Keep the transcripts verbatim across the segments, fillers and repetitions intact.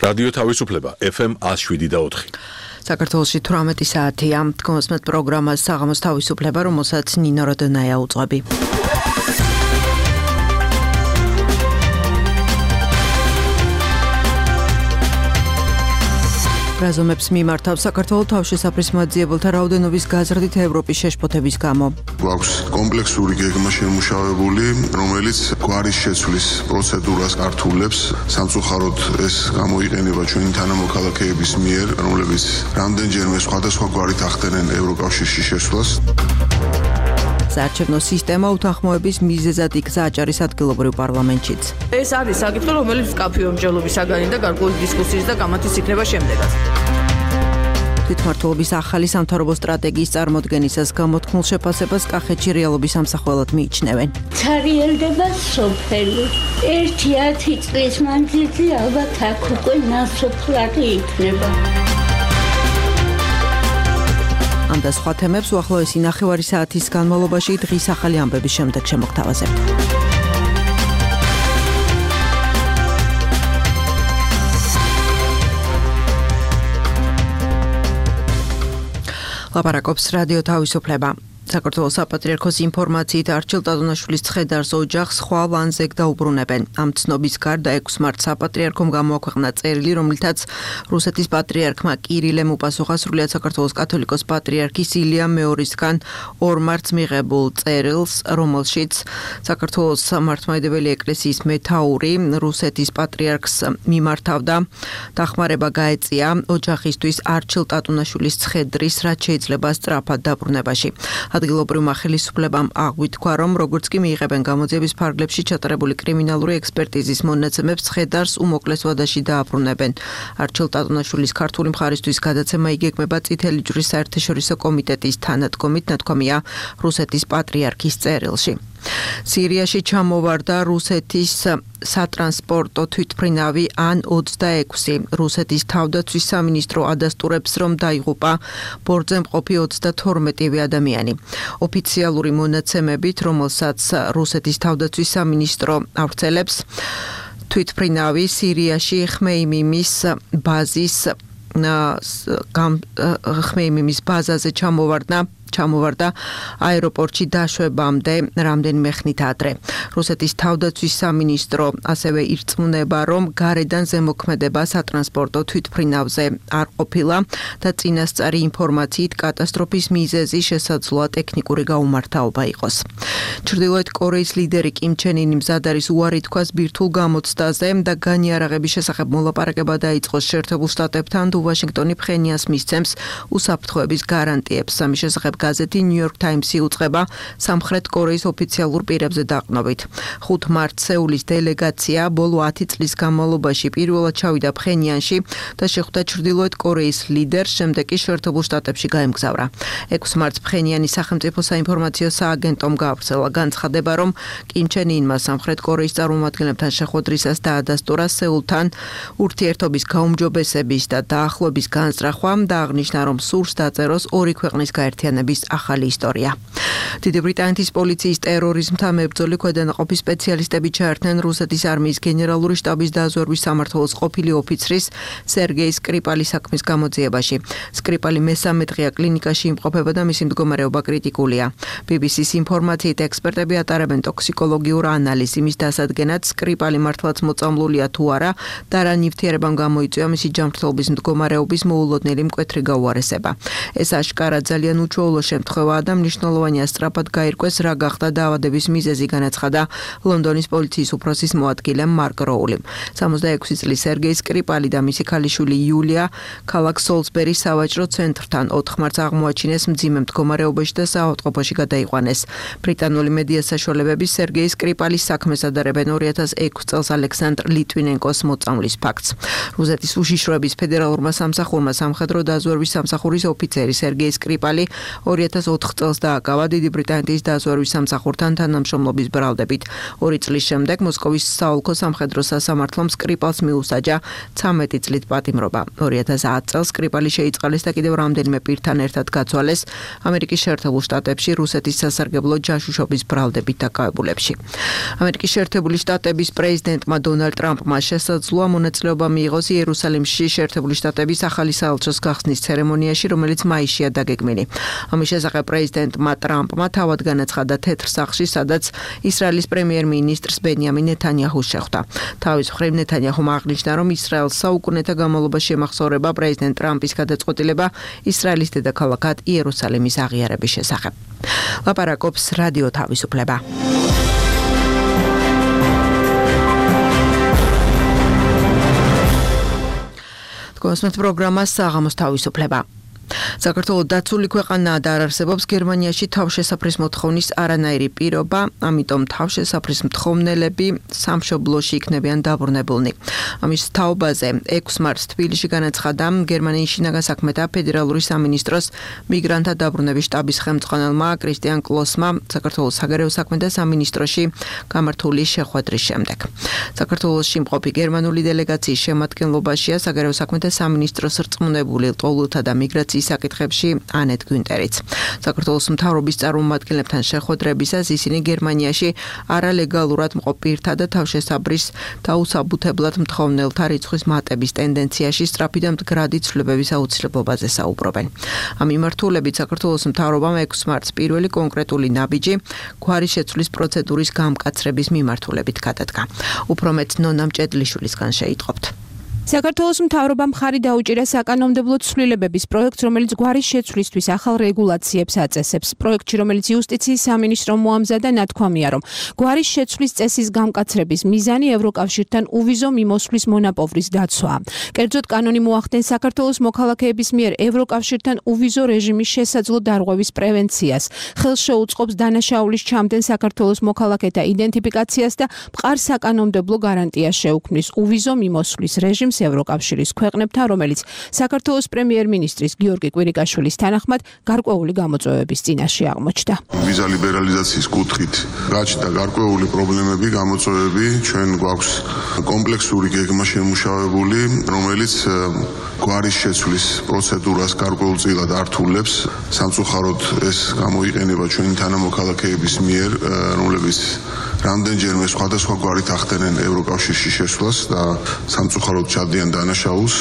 რადიო თავისუფლება ეფ ემ one oh seven და four. საქართველოში თვრამეტი საათია. Თქვენს პროგრამას საღამოს თავისუფლება, რომელსაც ნინო როდონაია უძღვები. რაზომებს მიმართავ საქართველოს თავშესაფრის მოძიებელთა რაოდენობის გაზრდით ევროპის შეშფოთების გამო. გვაქვს კომპლექსური გეგმა შემუშავებული, რომელიც გვარის შეცვლის პროცედურას ართულებს. სამწუხაროდ ეს გამოიყენება ჩვენი თანამოქალაქეების მიერ, რომლებიც რამდენჯერმე სხვადასხვა გვარით ახდენენ ევროკავშირში შესვლას. საარჩევნო სისტემა უთანხმოების მიზეზად იქცა აჭარის ადგილობრივ პარლამენტშიც. ეს არის საკითხი, რომელიც კაფეო მსჯელობის საგანი და გარკვეული დისკუსიის და გამართის იქნება შემდეგაც. თვითმმართველობის ახალი სამთავრობო სტრატეგიის წარმოდგენისას გამოთქმულ შეფასებას კახეთში რეალობის ამსახველად მიიჩნევენ. ცარიელდება სოფელი. ერთი ათი წლის მანძილზე ალბათ აქ უკვე ნასოფლარი იქნება. ამ და სხვა თემებს უახლოესი ნახევარი საათის განმავლობაში დღის ახალი ამბების შემდეგ შემოგთავაზებთ. ლაპარაკობს რადიო თავისუფლება. საქართველოს საპატრიარქოს ინფორმაციით არჩილ ტატონაშვილის ცხედარს ოჯახს ხვალ ანზეგ დაუბრუნებენ. ამ ცნობის გარდა ექვსი მარტს საპატრიარქომ გამოაქვეყნა წერილი, რომლითაც რუსეთის პატრიარქმა კირილემ უპასუხა სრულიად საქართველოს კათოლიკოს პატრიარქის ილია მეორისგან ორ მარტს მიღებულ წერილს, რომელშიც საქართველოს მართლმადიდებელი ეკლესიის მეთაური რუსეთის პატრიარქს მიმართავდა. დახმარება გაეწია ოჯახისთვის არჩილ ტატონაშვილის ცხედრის, რაც შეიძლება სწრაფად დაბრუნებაში. ადგილობრივმა ხელისუფლებამ აღვიქვა, რომ როგორც კი მიიღებენ გამოძიების ფარგლებში ჩატარებული კრიმინალური ექსპერტიზის მონაცემებს, ცხედარს უმოკლეს ვადაში დააბრუნებენ. არჩილ ტატონაშვილის ქართული მხარისთვის გადაცემა იგეგმება წითელი ჯვრის საერთაშორისო კომიტეტის თანადგომით, ნათქვამია რუსეთის პატრიარქის წერილში. სირიაში ჩამოვარდა რუსეთის სატრანსპორტო თვითმფრინავი ან ოცდაექვსი. რუსეთის თავდაცვის სამინისტრო ადასტურებს, რომ დაიღუპა ბორტზე მყოფი ოცდათორმეტივე ადამიანი. ოფიციალური მონაცემებით, რომელსაც რუსეთის თავდაცვის სამინისტრო ავრცელებს, თვითმფრინავი სირიაში ხმეიმიმის ბაზის ხმეიმიმის ბაზაზე ჩამოვარდა ჩამოვარდა აეროპორტში დაშვებამდე რამდენიმე ხნით ადრე. რუსეთის თავდაცვის სამინისტრო ასევე ირწმუნება, რომ გარედან ზემოქმედება სატრანსპორტო თვითმფრინავზე არ ყოფილა და წინასწარი ინფორმაციით კატასტროფის მიზეზი შესაძლოა ტექნიკური გაუმართავობა იყოს. ჩრდილოეთ კორეის ლიდერი კიმ ჩენ ინი მზად არის უარი თქვას ბირთვულ გამოცდაზე და განიარაღების შესახებ მოლაპარაკება დაიწყოს შეერთებულ შტატებთან, თუ ვაშინგტონი ფხენიანს მისცემს უსაფრთხოების გარანტიებს. ამის შესახებ გაზეთი New York Times-ი უწყება სამხრეთ კორეის ოფიციალურ პირებზე დაყრდნობით. ხუთი მარტს სეულის დელეგაცია ბოლო ათი წლის განმავლობაში პირველად ჩავიდა ფხენიანში და შეხვდა ჩრდილოეთ კორეის ლიდერს, შემდეგ კი შეერთებულ შტატებში გაემგზავრა. ექვსი მარტს ფხენიანის სახელმწიფო საინფორმაციო სააგენტომ გაავრცელა განცხადება, რომ კიმ ჩენ ინმა სამხრეთ კორეის წარმომადგენლებთან შეხვედრისას დაადასტურა სეულთან ურთიერთობის გაუმჯობესების და დაახლოების განზრახვა და აღნიშნა, რომ სურს დაწეროს ორი ქვეყნის გაერთიანების ახალი ისტორია. დიდი ბრიტანეთის პოლიციის ტერორიზმთან მებრძოლი ქვედანაყოფის სპეციალისტები ჩაერთნენ რუსეთის არმიის გენერალური შტაბის დაზვერვის სამმართველოს ყოფილი ოფიცრის სერგეი სკრიპალის საქმის გამოძიებაში. სკრიპალი მესამე დღეა კლინიკაში იმყოფება და მისი მდგომარეობა კრიტიკულია. ბი ბი სის ინფორმაციით ექსპერტები ატარებენ ტოქსიკოლოგიურ ანალიზს იმის დასადგენად, სკრიპალი მართლაც მოწამლულია თუ არა და რა ნივთიერებამ გამოიწვია მისი ჯანმრთელობის მდგომარეობის მოულოდნელი მკვეთრი გაუარესება. ეს აშკარა ძალიან უჩვეულო შემთხვევაა და მნიშვნელოვანია სწრაფად გაირკვეს, რა გახდა დაავადების მიზეზი, განაცხადა ლონდონის პოლიციის უფროსის მოადგილე მარკ როულიმ. სამოცდაექვსი წლის სერგეი სკრიპალი და მისი ქალიშვილი იულია ქალაქ სოლსბერის სავაჭრო ცენტრთან ოთხ მარტს აღმოაჩინეს მძიმე მდგომარეობაში და საავადმყოფოში გადაიყვანეს. ბრიტანული მედია საშუალებები სერგეი სკრიპალის საქმეს ადარებენ ორი ათას ექვსი წელს ალექსანდრ ლიტვინენკოს მოწამვლის ფაქტს. რუსეთის უშიშროების ფედერალურმა სამსახურმა სამხედრო დაზვერვის სამსახურის ოფიცერი სერგეი სკრიპალი ორი ათას ოთხ წელს დააკავა დიდი ბრიტანეთის დაზვერვის სამსახურთან თანამშრომლობის ბრალდებით. ორი წლის შემდეგ მოსკოვის საოლქო სამხედრო სასამართლომ სკრიპალს მიუსაჯა ცამეტი წლით პატიმრობა. ორი ათას ათ წელს სკრიპალი შეიწყალეს და კიდევ რამდენიმე პირთან ერთად გაცვალეს ამერიკის შეერთებულ შტატებში რუსეთის სასარგებლო ჯაშუშობის ბრალდებით დაკავებულებში. ამერიკის შეერთებული შტატების პრეზიდენტმა დონალდ ტრამპმა შესაძლოა მონაწილეობა მიიღოს იერუსალიმში შეერთებული შტატების ახალი საელჩოს გახსნის ცერემონიაში, რომელიც მაისშია დაგეგმილი. ამის შესახებ პრეზიდენტმა ტრამპმა თავად განაცხადა თეთრ სახლში, სადაც ისრაელის პრემიერ-მინისტრს ბენიამინ ნეთანიაჰუს შეხვდა. თავის მხრივ ნეთანიაჰუმ აღნიშნა, რომ ისრაელს საუკუნეთა განმავლობაში ემახსოვრება პრეზიდენტ ტრამპის გადაწყვეტილება ისრაელის დედაქალაქად იერუსალიმის აღიარების შესახებ. ლაპარაკობს რადიო თავისუფლება. გოსმეთ პროგრამას საღამოს თავისუფლება. საქართველოს დაცული ქვეყანაა და არ არსებობს გერმანიაში თავშესაფრის მოთხოვნის არანაირი პირობა, ამიტომ თავშესაფრის მთხოვნელები სამშობლოში იქნებიან დაბრუნებულნი. ამის თაობაზე ექვსი მარტს თბილისში განაცხადა გერმანიის შინაგან საქმეთა ფედერალური სამინისტროს მიგრანტთა დაბრუნების შტაბის ხელმძღვანელმა კრისტიან კლოსმა საქართველოს საგარეო საქმეთა სამინისტროში გამართული შეხვედრის შემდეგ. საქართველოში მყოფი გერმანული დელეგაციის შემადგენლობაშია საგარეო საქმეთა სამინისტროს რწმუნებული ლტოლვილთა და მიგრაციის საკითხებში ანეტ გვინტერიც. საქართველოს მთავრობის წარმომადგენლებთან შეხვედრებისას ისინი გერმანიაში არალეგალურად მყოფ პირთა და თავშესაფრის დაუსაბუთებლად მთხოვნელთა რიცხვის მატების ტენდენციაში სწრაფი და მდგრადი ცვლილებების აუცილებლობაზე საუბრობენ. ამ მიმართულებით საქართველოს მთავრობამ ექვსი მარტს პირველი კონკრეტული ნაბიჯი გვარის შეცვლის პროცედურის გამკაცრების მიმართულებით გადადგა. უფრო მეტ ნონა მჭედლიშვილისგან შეიტყობთ. საქართველოს მთავრობამ მხარი დაუჭირა საკანონმდებლო ცვლილებების პროექტს, რომელიც გვარის შეცვლისთვის ახალ რეგულაციებს აწესებს. პროექტში, რომელიც იუსტიციის სამინისტრომ მოამზადა, ნათქვამია, რომ გვარის შეცვლის წესის გამკაცრების მიზანი ევროკავშირთან უვიზო მიმოსვლის მონაპოვრის დაცვაა. კერძოდ, კანონი მოახდენს საქართველოს მოქალაქეების მიერ ევროკავშირთან უვიზო რეჟიმის შესაძლო დარღვევის პრევენციას, ხელს შეუწყობს დანაშაულის ჩამდენ საქართველოს მოქალაქეთა იდენტიფიკაციას და მყარ საკანონმდებლო გარანტიას შეუქმნის უვიზო მიმოსვლის რეჟიმს ევროკავშირის ქვეყნებთან, რომელიც საქართველოს პრემიერ-მინისტრის გიორგი კვირიკაშვილის თანახმად გარკვეული გამოწვევების წინაშე აღმოჩნდა. ვიზა ლიბერალიზაციის კუთხით გაჩნდა გარკვეული პრობლემები, გამოწვევები, ჩვენ გვაქვს კომპლექსური გეგმა შემუშავებული, რომელიც გვარის შეცვლის პროცედურას გარკვეულწილად ართულებს. სამწუხაროდ ეს გამოიყენება ჩვენი თანამოქალაქეების მიერ, რომლებიც რამდენჯერმე სხვადასხვა გვარით ახდენენ ევროკავშირში შესვლას და სამწუხაროდ ჩადიან დანაშაულს.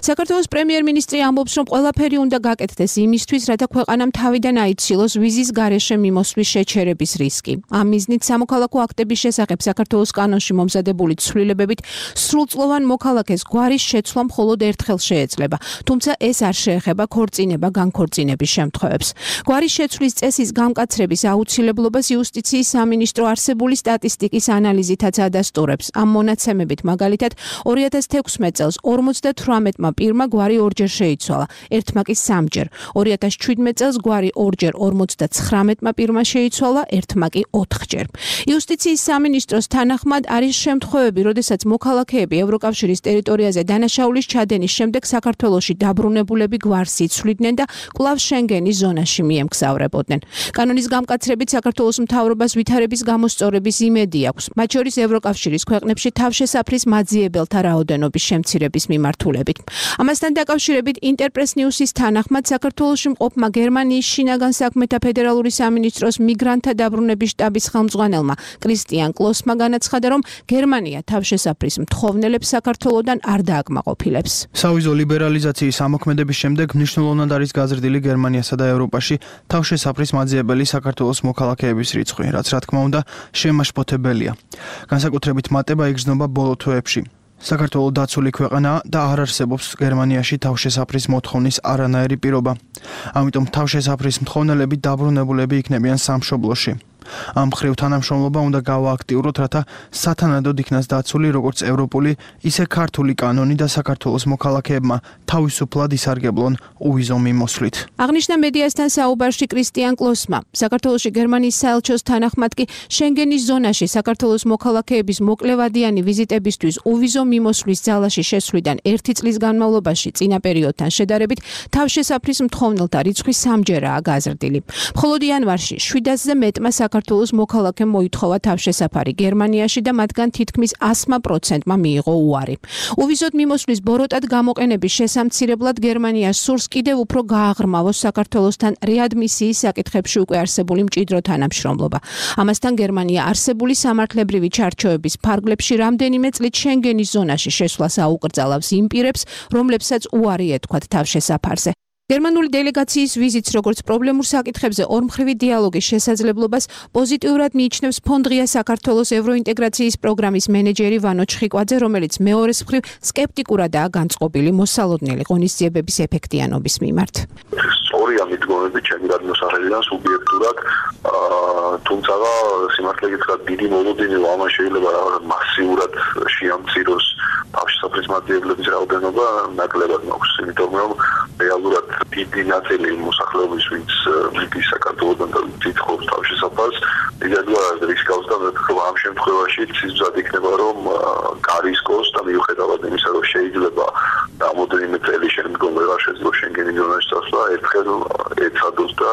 საქართველოს პრემიერ-მინისტრი ამბობს, რომ ყველაფერი უნდა გაკეთდეს იმისთვის, რათა ქვეყანამ თავიდან აიცილოს ვიზის გარეშე მიმოსვლის შეჩერების რისკი. ამ მიზნით სამოქალაქო აქტების შესახებ საქართველოს კანონში მომზადებული ცვლილებებით სრულწლოვან მოქალაქეს გვარის შეცვლა მხოლოდ ერთხელ შეეძლება, თუმცა ეს არ შეეხება ქორწინება განქორწინების შემთხვევებს. გვარის შეცვლის წესის გამკაცრების აუცილებლობას იუსტიციის სამინისტრო არსებული სტატისტიკის ანალიზითაც ადასტურებს. ამ მონაცემებით მაგალითად ორი ათას თექვსმეტ წელს ორმოცდათვრამეტმა პირმა გვარი ორჯერ შეიცვალა, ერთმა კი სამჯერ. ორი ათას ჩვიდმეტ წელს გვარი ორჯერ ორმოცდაცხრამეტმა პირმა შეიცვალა, ერთმა კი ოთხჯერ. იუსტიციის სამინისტროს თანახმად არის შემთხვევები, როდესაც მოქალაქეები ევროკავშირის ტერიტორიაზე დანაშაულის ჩადენის შემდეგ საქართველოში დაბრუნებულები გვარს იცვლიდნენ და კვლავ შენგენის ზონაში მიემგზავრებოდნენ. კანონის გამკაცრებით საქართველოს მთავრობას ვითარების გამოსწორების იმედი აქვს, მათ შორის ევროკავშირის ქვეყნებში თავშესაფრის მაძიებელთა რაოდენობის შემცირების მიმართულებით. ამასთან დაკავშირებით ინტერპრეს ნიუსის თანახმად საქართველოში მყოფმა გერმანიის შინაგან საქმეთა ფედერალური სამინისტროს მიგრანტთა დაბრუნების შტაბის ხელმძღვანელმა კრისტიან კლოსმა განაცხადა, რომ გერმანია თავშესაფრის მთხოვნელებს საქართველოდან არ დააკმაყოფილებს. სავიზო ლიბერალიზაციის ამოქმედების შემდეგ მნიშვნელოვნად არის გაზრდილი გერმანიასა და ევროპაში თავშესაფრის მაძიებელი საქართველოს მოქალაქეების რიცხვი, რაც რა თქმა უნდა შემაშფოთებელია. განსაკუთრებით მატება იგრძნობა ბოლო თვეებში. საქართველოს დაცული ქვეყანაა და არ არსებობს გერმანიაში თავშესაფრის მოთხოვნის არანაირი პირობა. ამიტომ თავშესაფრის მთხოვნელები დაბრუნებულები იქნებიან სამშობლოში. ამ მხრივ თანამშრომლობა უნდა გავააქტიუროთ, რათა სათანადოდ იქნას დაცული როგორც ევროპული, ისე ქართული კანონი და საქართველოს მოქალაქეებმა თავისუფლად ისარგებლონ უვიზო მიმოსვლით. აღნიშნა მედიასთან საუბარში კრისტიან კლოსმა. საქართველოში გერმანიის საელჩოს თანახმად კი შენგენის ზონაში საქართველოს მოქალაქეების მოკლევადიანი ვიზიტებისთვის უვიზო მიმოსვლის ძალაში შესვლიდან ერთი წლის განმავლობაში წინა პერიოდთან შედარებით თავშესაფრის მთხოვნელთა რიცხვი სამჯერაა გაზრდილი. მხოლოდ იანვარში შვიდასზე მეტმა საქართველოს მოქალაქემ მოითხოვა თავშესაფარი გერმანიაში და მათგან თითქმის ასმა პროცენტმა მიიღო უარი. უვიზოდ მიმოსვლის ბოროტად გამოყენების შესამცირებლად გერმანიას სურს კიდევ უფრო გააღრმავოს საქართველოსთან რეადმისიის საკითხებში უკვე არსებული მჭიდრო თანამშრომლობა. ამასთან გერმანია არსებული სამართლებრივი ჩარჩოების ფარგლებში რამდენიმე წლით შენგენის ზონაში შესვლას აუკრძალავს იმ პირებს, რომლებსაც უარი ეთქვათ თავშესაფარზე. გერმანული დელეგაციის ვიზიტს როგორც პრობლემურ საკითხებზე ორმხრივი დიალოგის შესაძლებლობას პოზიტიურად მიიჩნევს ფონდღია საქართველოს ევროინტეგრაციის პროგრამის მენეჯერი ვანო ჩხიკვაძე, რომელიც მეორეს მხრივ სკეპტიკურადაა განწყობილი მოსალოდნელი ღონისძიებების ეფექტიანობის მიმართ. სწორია მიდგომები ჩემი გადმოსახედიდან სუბიექტურად, თუმცა სიმართლე გითხრათ დიდი მოლოდინი ამან შეიძლება მასიურად შეამციროს თავშესაფრის მატარებლების რაოდენობა ნაკლებად მაქვს, იმიტომ რომ რეალურად დიდი ნაწილი მოსახლეობის ვინც მიდის საქართველოდან და თითქოს თავშესაფარს იდეალურად რისკავს და ამ შემთხვევაში ცისმზად იქნება რომ გარისკოს და მიუხედავად იმისა რომ შეიძლება რამოდენიმე წელი შემდგომ ვეღარ შეძლო შენგენის ზონაში წასვლა ერთხელ ეცადოს და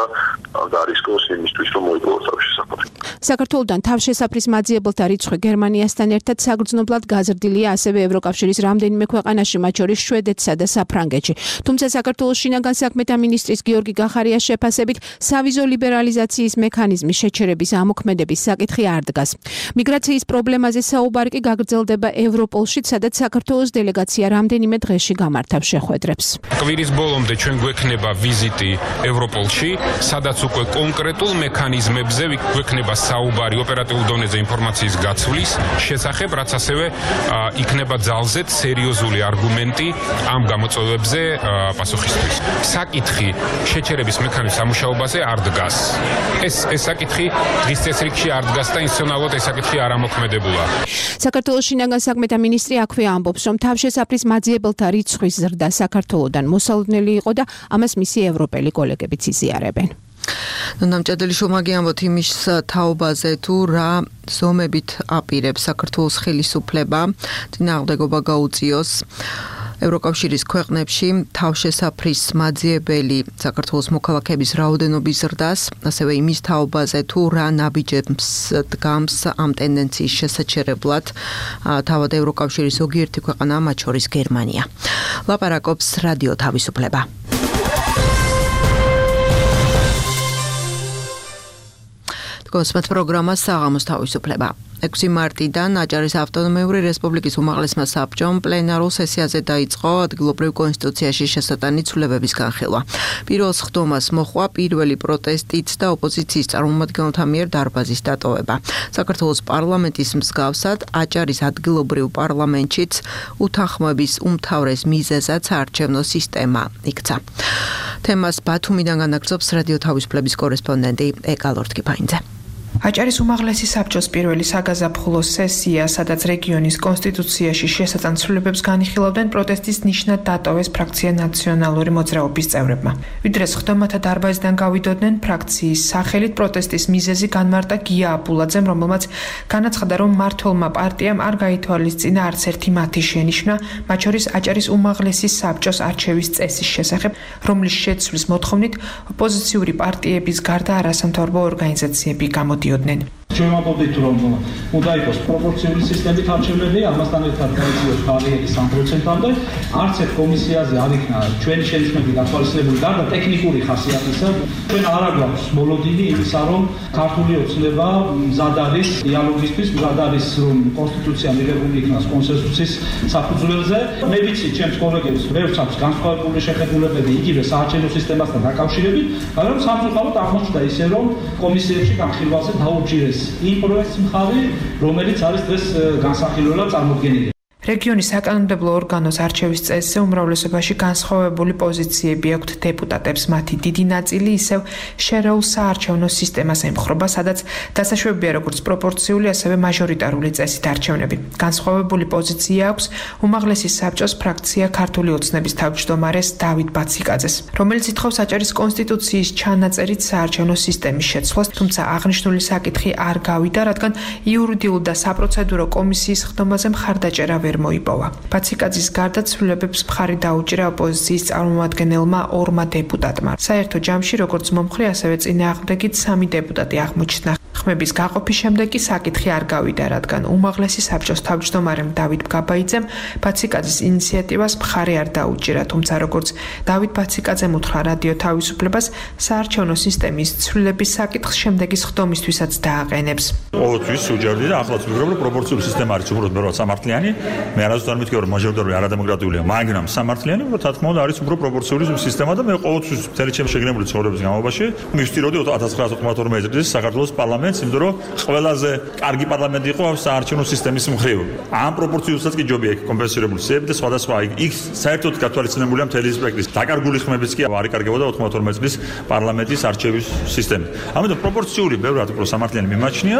გარისკოს იმისთვის რომ მოიპოვოს თავშესაფარი. საქართველოდან თავშესაფრის მაძიებელთა რიცხვი გერმანიასთან ერთად საგრძნობლად გაზრდილია ასევე ევროკავშირის რამდენიმე ქვეყანაში, მათ შორის შვედეთსა და საფრანგეთში. თუმცა საქართველოს შინაგან საქმეთა მინისტრის გიორგი გახარიას შეფასებით სავიზო ლიბერალიზაციის მექანიზმის შეჩერების ამოქმედების საკითხი არ დგას. მიგრაციის პრობლემაზე საუბარი კი გაგრძელდება ევროპოლში, სადაც საქართველოს დელეგაცია რამდენიმე დღეში გამართავს შეხვედრებს. კვირის ბოლომდე ჩვენ გვექნება ვიზიტი ევროპოლში, სადაც უკვე კონკრეტულ მექანიზმებზე გვექნება საუბარი ოპერატიულ დონეზე ინფორმაციის გაცვლის შესახებ, რაც ასევე იქნება ძალზედ სერიოზული არგუმენტი ამ გამოწვევებზე პასუხისთვის. საკითხი შეჩერების მექანიზმის სამუშაობაზე არ დგას. ეს ეს საკითხი დღის წესრიგში არ დგას და ინსტიტუციონალურად ეს საკითხი არ ამოქმედებულა. საქართველოს შინაგან საქმეთა მინისტრი აქვე ამბობს, რომ თავშესაფრის მაძიებელთა რიცხვის ზრდა საქართველოდან მოსალოდნელი იყო და ამას მისი ევროპელი კოლეგებიც იზიარებენ. ნამჭედელი შომაგიანბოთ იმის თაობაზე თუ რა ზომებით აპირებს საქართველოს ხელისუფლება წინააღმდეგობა გაუწიოს ევროკავშირის ქვეყნებში თავშესაფრის მაძიებელი საქართველოს მოქალაქეების რაოდენობის ზრდას, ასევე იმის თაობაზე თუ რა ნაბიჯებს დგამს ამ ტენდენციის შესაჩერებლად თავად ევროკავშირის ზოგიერთი ქვეყანა, მათ შორის გერმანია. ლაპარაკობს რადიო თავისუფლება. გოსმათ პროგრამა საღამოს თავისუფლება. ექვსი მარტიდან აჭარის ავტონომიური რესპუბლიკის უმაღლესმა საბჭომ პლენარულ სესიაზე დაიწყო ადგილობრივ კონსტიტუციაში შესატანი ცვლილებების განხილვა. პირველ სხდომას მოჰყვა პირველი პროტესტით და ოპოზიციის წარმომადგენელთა მიერ დარბაზის დატოვება. საქართველოს პარლამენტის მსგავსად აჭარის ადგილობრივ პარლამენტშიც უთანხმოების უმთავრეს მიზეზად საარჩევნო სისტემა იქცა. თემას ბათუმიდან განაგრძობს რადიო თავისუფლების კორესპონდენტი ეკა ლორთქიფაინძე. აჭარის უმაღლესი საბჭოს პირველი საგაზაფხულო სესია, სადაც რეგიონის კონსტიტუციაში შესატან ცვლილებებს განიხილავდნენ, პროტესტის ნიშნად დატოვეს ფრაქცია ნაციონალური მოძრაობის წევრებმა. ვიდრე სხდომათა დარბაზიდან გავიდოდნენ, ფრაქციის სახელით პროტესტის მიზეზი განმარტა გია აბულაძემ, რომელმაც განაცხადა, რომ მმართველმა პარტიამ არ გაითვალისწინა არც ერთი მათი შენიშვნა, მათ შორის აჭარის უმაღლესი საბჭოს არჩევის წესის შესახებ, რომლის შეცვლის მოთხოვნით ოპოზიციური პარტიების გარდა არასამთავრობო ორგანიზაციები გამოდიოდნენ. ჩვენ ვამბობთ, რომ უნდა იყოს პროპორციული სისტემით არჩევნები, ამასთან ერთად გაიწიოს ბარიერი სამ პროცენტამდე. არც ერთ კომისიაზე არ იქნა ჩვენი შენიშვნები გათვალისწინებული გარდა ტექნიკური ხასიათისა. ჩვენ არ აგვაქვს მოლოდინი იმისა, რომ ქართული ოცნება მზად არის დიალოგისთვის, მზად არის რომ კონსტიტუცია მიღებული იქნას კონსენსუსის საფუძველზე. მე ვიცი, ჩემს კოლეგებს ბევრს აქვს განსხვავებული შეხედულებები იგივე საარჩევნო სისტემასთან დაკავშირებით, მაგრამ სამწუხაროდ აღმოჩნდა ისე, რომ კომისიებში განხილვაზე დაუჭირეს იმ პროექტს მხარი, რომელიც არის დღეს განსახილველად წარმოდგენილი. რეგიონის საკანონმდებლო ორგანოს არჩევის წესზე უმრავლესობაში განსხვავებული პოზიციები აქვთ დეპუტატებს. მათი დიდი ნაწილი ისევ შერეულ საარჩევნო სისტემას ემხრობა, სადაც დასაშვებია როგორც პროპორციული, ასევე მაჟორიტარული წესით არჩევნები. განსხვავებული პოზიცია აქვს უმაღლესი საბჭოს ფრაქცია ქართული ოცნების თავმჯდომარეს დავით ბაციკაძეს, რომელიც ითხოვს აჭარის კონსტიტუციის ჩანაწერით საარჩევნო სისტემის შეცვლას, თუმცა აღნიშნული საკითხი არ გავიდა, რადგან იურიდიულ და საპროცედურო კომისიის ხდომაზე მხარდაჭერა ვერ მოიპოვა. ბაციკაძის გარდა ცვლილებებს მხარი დაუჭირა ოპოზიციის წარმომადგენელმა ორმა დეპუტატმა. საერთო ჯამში როგორც მომხრე, ასევე წინააღმდეგით სამი დეპუტატი აღმოჩნდა. ხმების გაყოფის შემდეგ კი საკითხი არ გავიდა, რადგან უმაღლესი საბჭოს თავმჯდომარემ დავით გაბაიძემ ბაციკაძის ინიციატივას მხარი არ დაუჭირა, თუმცა როგორც დავით ბაციკაძემ უთხრა რადიო თავისუფლებას, საარჩევნო სისტემის ცვლილების საკითხს შემდეგის ხდომისთვისაც დააყენებს. ყოველთვის უჯერდი და ახლაც ვიგროვ, რომ პროპორციული სისტემა არის უბრალოდ მეორე სამართლიანი. მე არასდროს არ მითქვა, რომ მაჟორიტარული არადემოკრატიულია, მაგრამ სამართლიანი, რომ თათქმა უნდა არის უფრო პროპორციული სისტემა და მე ყოველთვის მთელი ჩემი შეგნებული ცხოვრების განმავლობაში მივსტიროდი ათას ცხრაასა ოცდაოთხ წლის საქართველოს პარლამენტს, იმიტომ რომ ყველაზე კარგი პარლამენტი იყო საარჩევნო სისტემის მხრივ. ამ პროპორციულსაც კი ჯობია კომპენსირებული სიები და სხვადასხვა იქ საერთოდ გათვალისწინებულია მთელი სპექტრი. დაკარგული ხმებიც კი არ იკარგებოდა ოცდაოთხ წლის პარლამენტის არჩევის სისტემა. ამიტომ პროპორციული ბევრად უფრო სამართლიანი მიმაჩნია.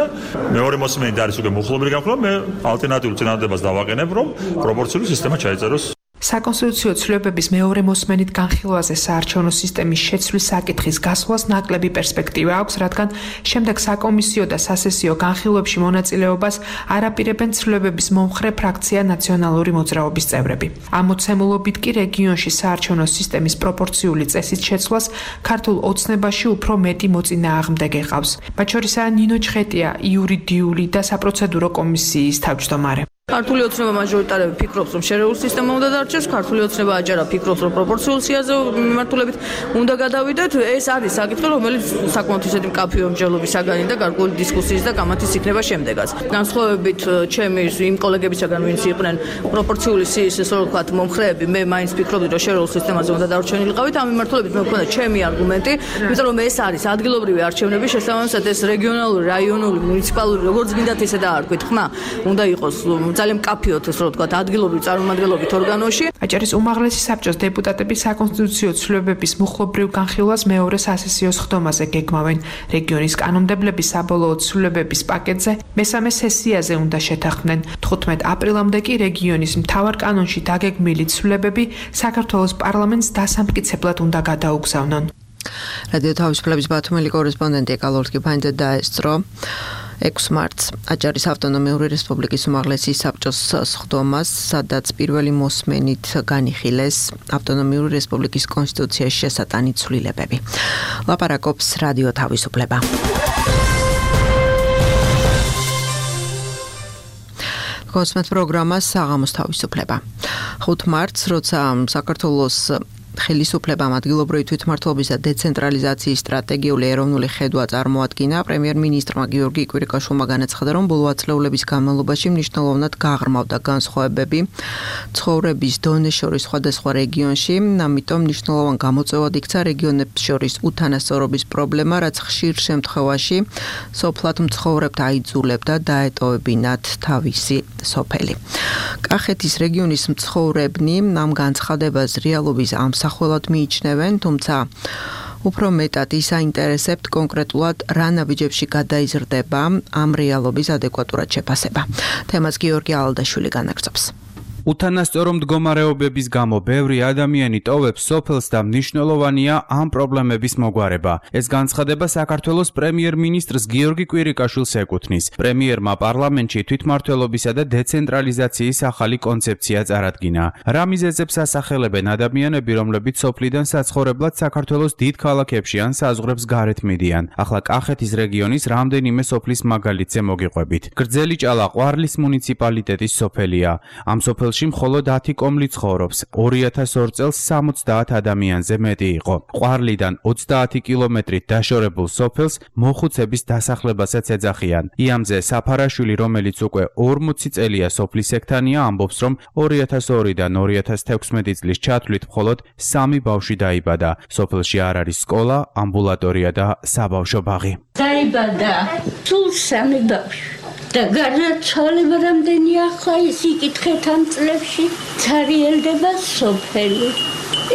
მეორე მოსმენით არის უკვე მოხლობილი განხილვა, მე ალტერნატიულ წინადადებას დავაყენებ, რომ პროპორციული სისტემა ჩაიწეროს. საკონსტიტუციო ცვლილებების მეორე მოსმენით განხილვაზე საარჩევნო სისტემის შეცვლის საკითხის გასვლას ნაკლები პერსპექტივა აქვს, რადგან შემდეგ საკომისიო და სასესიო განხილვებში მონაწილეობას არაპირებენ ცვლილებების მომხრე ფრაქცია ნაციონალური მოძრაობის წევრები. ამ მოცემულობით კი რეგიონში საარჩევნო სისტემის პროპორციული წესით შეცვლას ქართულ ოცნებაში უფრო მეტი მოწინააღმდეგე ყავს. მათ შორისაა ნინო ჩხეტია, იურიდიული და საპროცედურო კომისიის თავმჯდომარე. ქართული ოცნება მაჟორიტარები ფიქრობს, რომ შერეულ სისტემა უნდა დარჩეს, ქართული ოცნება აჯარა ფიქრობს, რომ პროპორციულ სიაზე მიმართულებით უნდა გადავიდეთ. ეს არის საკითხი, რომელიც საკმაოდ ისეთი მკაფიო მსჯელობის საგანი და გარკვეული დისკუსიის და გამათის იქნება შემდეგაც. განსხვავებით ჩემი იმ კოლეგებისაგან, ვინც იყვნენ პროპორციული სიის, ესე რომ ვთქვათ, მომხრეები, მე მაინც ფიქრობდი, რომ შერეულ სისტემაზე უნდა დარჩენილიყავით. ამ მიმართულებით მე მქონდა ჩემი არგუმენტი, იმიტომ რომ ეს არის ადგილობრივი არჩევნები, შესაბამისად ეს რეგიონალური, რაიონული, მუნიციპალური, როგორც გინდათ ისე დაარქვით, ხმა უნდა იყოს ძალიან მკაფიოდ, ესე რომ ვთქვათ, ადგილობრივი წარმომადგენლობით ორგანოში. აჭარის უმაღლესი საბჭოს დეპუტატები საკონსტიტუციო ცვლილებების მუხლობრივ განხილვას მეორე სასესიოს ხდომაზე გეგმავენ. რეგიონის კანონმდებლები საბოლოო ცვლილებების პაკეტზე მესამე სესიაზე უნდა შეთანხმდნენ. თხუთმეტ აპრილამდე კი რეგიონის მთავარ კანონში დაგეგმილი ცვლილებები საქართველოს პარლამენტს დასამტკიცებლად უნდა გადაუგზავნონ. რადიო თავისუფლების ბათუმელი კორესპონდენტი ეკალორტკი ფანჯა დაესწრო ექვსი მარტს აჭარის ავტონომიური რესპუბლიკის უმაღლესი საბჭოს სხდომას, სადაც პირველი მოსმენით განიხილეს ავტონომიური რესპუბლიკის კონსტიტუციაში შესატანი ცვლილებები. ლაპარაკობს რადიო თავისუფლება. კონსმეთ პროგრამა საღამოს თავისუფლება. ხუთი მარტს, როცა საქართველოს ხელისუფლებამ ადგილობრივი თვითმმართველობის და დეცენტრალიზაციის სტრატეგიული ეროვნული ხედვა წარმოადგინა, პრემიერ-მინისტრმა გიორგი კვირიკაშვილმა განაცხადა, რომ ბოლო ათწლეულების განმავლობაში მნიშვნელოვნად გაღრმავდა განსხვავებები ცხოვრების დონეს შორის სხვადასხვა რეგიონში, ამიტომ მნიშვნელოვან გამოწვევად იქცა რეგიონებს შორის უთანასწორობის პრობლემა, რაც ხშირ შემთხვევაში სოფლად მცხოვრებთ აიძულებდა დაეტოვებინათ თავისი სოფელი. კახეთის რეგიონის მცხოვრებნი ამ განცხადებას რეალობის ამ სახელად მიიჩნევენ, თუმცა უფრო მეტად ის აინტერესებთ კონკრეტულად რა ნაბიჯებში გადაიზრდება ამ რეალობის ადეკვატურად შეფასება. თემას გიორგი ალდაშვილი განაგრძობს. უთანასწორო მდგომარეობების გამო ბევრი ადამიანი ტოვებს სოფელს და მნიშვნელოვანია ამ პრობლემების მოგვარება. ეს განცხადება საქართველოს პრემიერ-მინისტრს გიორგი კვირიკაშვილს ეკუთვნის. პრემიერმა პარლამენტში თვითმმართველობისა და დეცენტრალიზაციის ახალი კონცეფცია წარადგინა. რა მიზეზებს ასახელებენ ადამიანები, რომლებიც სოფლიდან საცხოვრებლად საქართველოს დიდ ქალაქებში ან საზღვრებს გარეთ მიდიან. ახლა კახეთის რეგიონის რამდენიმე სოფლის მაგალითზე მოგიყვებით. გრძელი ჭალა ყვარლის მუნიციპალიტეტის სოფელია. ამ სოფელ მხოლოდ ათი კომლი ცხოვრობს. ორი ათას ორ წელს სამოცდაათ ადამიანზე მეტი იყო. ყვარლიდან ოცდაათი კილომეტრით დაშორებულ სოფელს მოხუცების დასახლებასაც ეძახიან. იამზე საფარაშვილი, რომელიც უკვე ორმოცი წელია სოფლის ექთანია, ამბობს, რომ ორი ათას ორიდან ორი ათას თექვსმეტი წლის ჩათვლით მხოლოდ სამი ბავშვი დაიბადა. სოფელში არ არის სკოლა, ამბულატორია და საბავშვო ბაღი. დაიბადა სულ სამი ბავშვი. და გარდაცვალება რამდენი ახლა ის იკითხეთ ამ წლებში ცარიელდება სოფელი.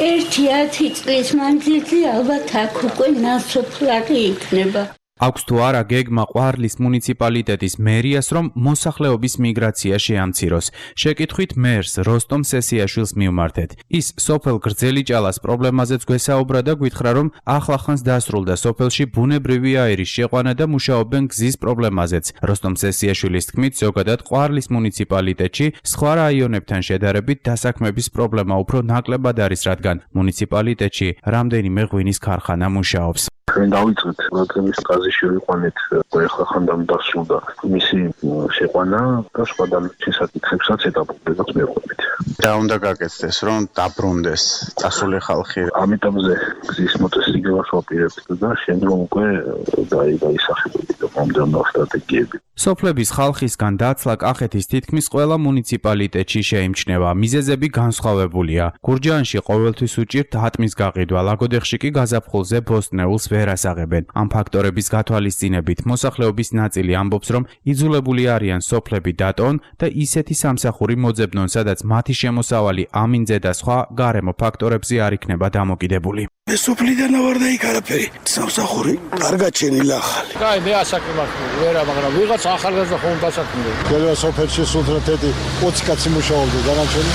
ერთი ათი წლის მანძილზე ალბათ აქ უკვე ნასოფლარი იქნება. აქვს თუ არა გეგმა ყვარლის მუნიციპალიტეტის მერიას, რომ მოსახლეობის მიგრაცია შეამციროს. შეკითხვით მერს როსტომ სესიაშვილს მივმართეთ. ის სოფელ გრძელიჭალას პრობლემაზეც გვესაუბრა და გვითხრა, რომ ახლახანს დასრულდა სოფელში ბუნებრივი აირის შეყვანა და მუშაობენ გზის პრობლემაზეც. როსტომ სესიაშვილის თქმით, ზოგადად ყვარლის მუნიციპალიტეტში სხვა რაიონებთან შედარებით დასაქმების პრობლემა უფრო ნაკლებად არის, რადგან მუნიციპალიტეტში რამდენიმე ღვინის ქარხანა მუშაობს. ჩვენ დავიწყეთ რადგანის გაზი შევიყვანეთ ახლა ხანდამ დასრულდა მისი შეყვანა და სხვა დამჭი საკითხებსაც ეტაპობრივად მივყვებით. და უნდა გაკეთდეს რომ დაბრუნდეს წასული ხალხი. ამიტომზე გზის მოწესრიგებას ვაპირებთ და შემდგომ უკვე დაისახებები და მომდევნო სტრატეგიები. სოფლების ხალხისგან დაცლა კახეთის თითქმის ყველა მუნიციპალიტეტში შეიმჩნევა. მიზეზები განსხვავებულია. გურჯაანში ყოველთვის უჭირთ ატმის გაყიდვა, ლაგოდეხში კი გაზაფხულზე ბოსტნეულს ვერ ასაღებენ. ამ ფაქტორების გათვალისწინებით მოსახლეობის ნაწილი ამბობს, რომ იძულებული არიან სოფლები დატოვონ და ისეთი სამსახური მოძებნონ, სადაც მათი შემოსავალი ამინძე და სხვა გარემო ფაქტორებზე არ იქნება დამოკიდებული. მე სოფლიდან ვარ და იქ არაფერი. სამსახური კარგად შენილა ახალი. კაი, მე ასაკმართული ვერა, მაგრამ ვიღაც ახალგაზრდა ხომ დასაქმდა. ყველა სოფელში სულთრათეთი ოცი კაცი მუშაობდა, დანარჩენი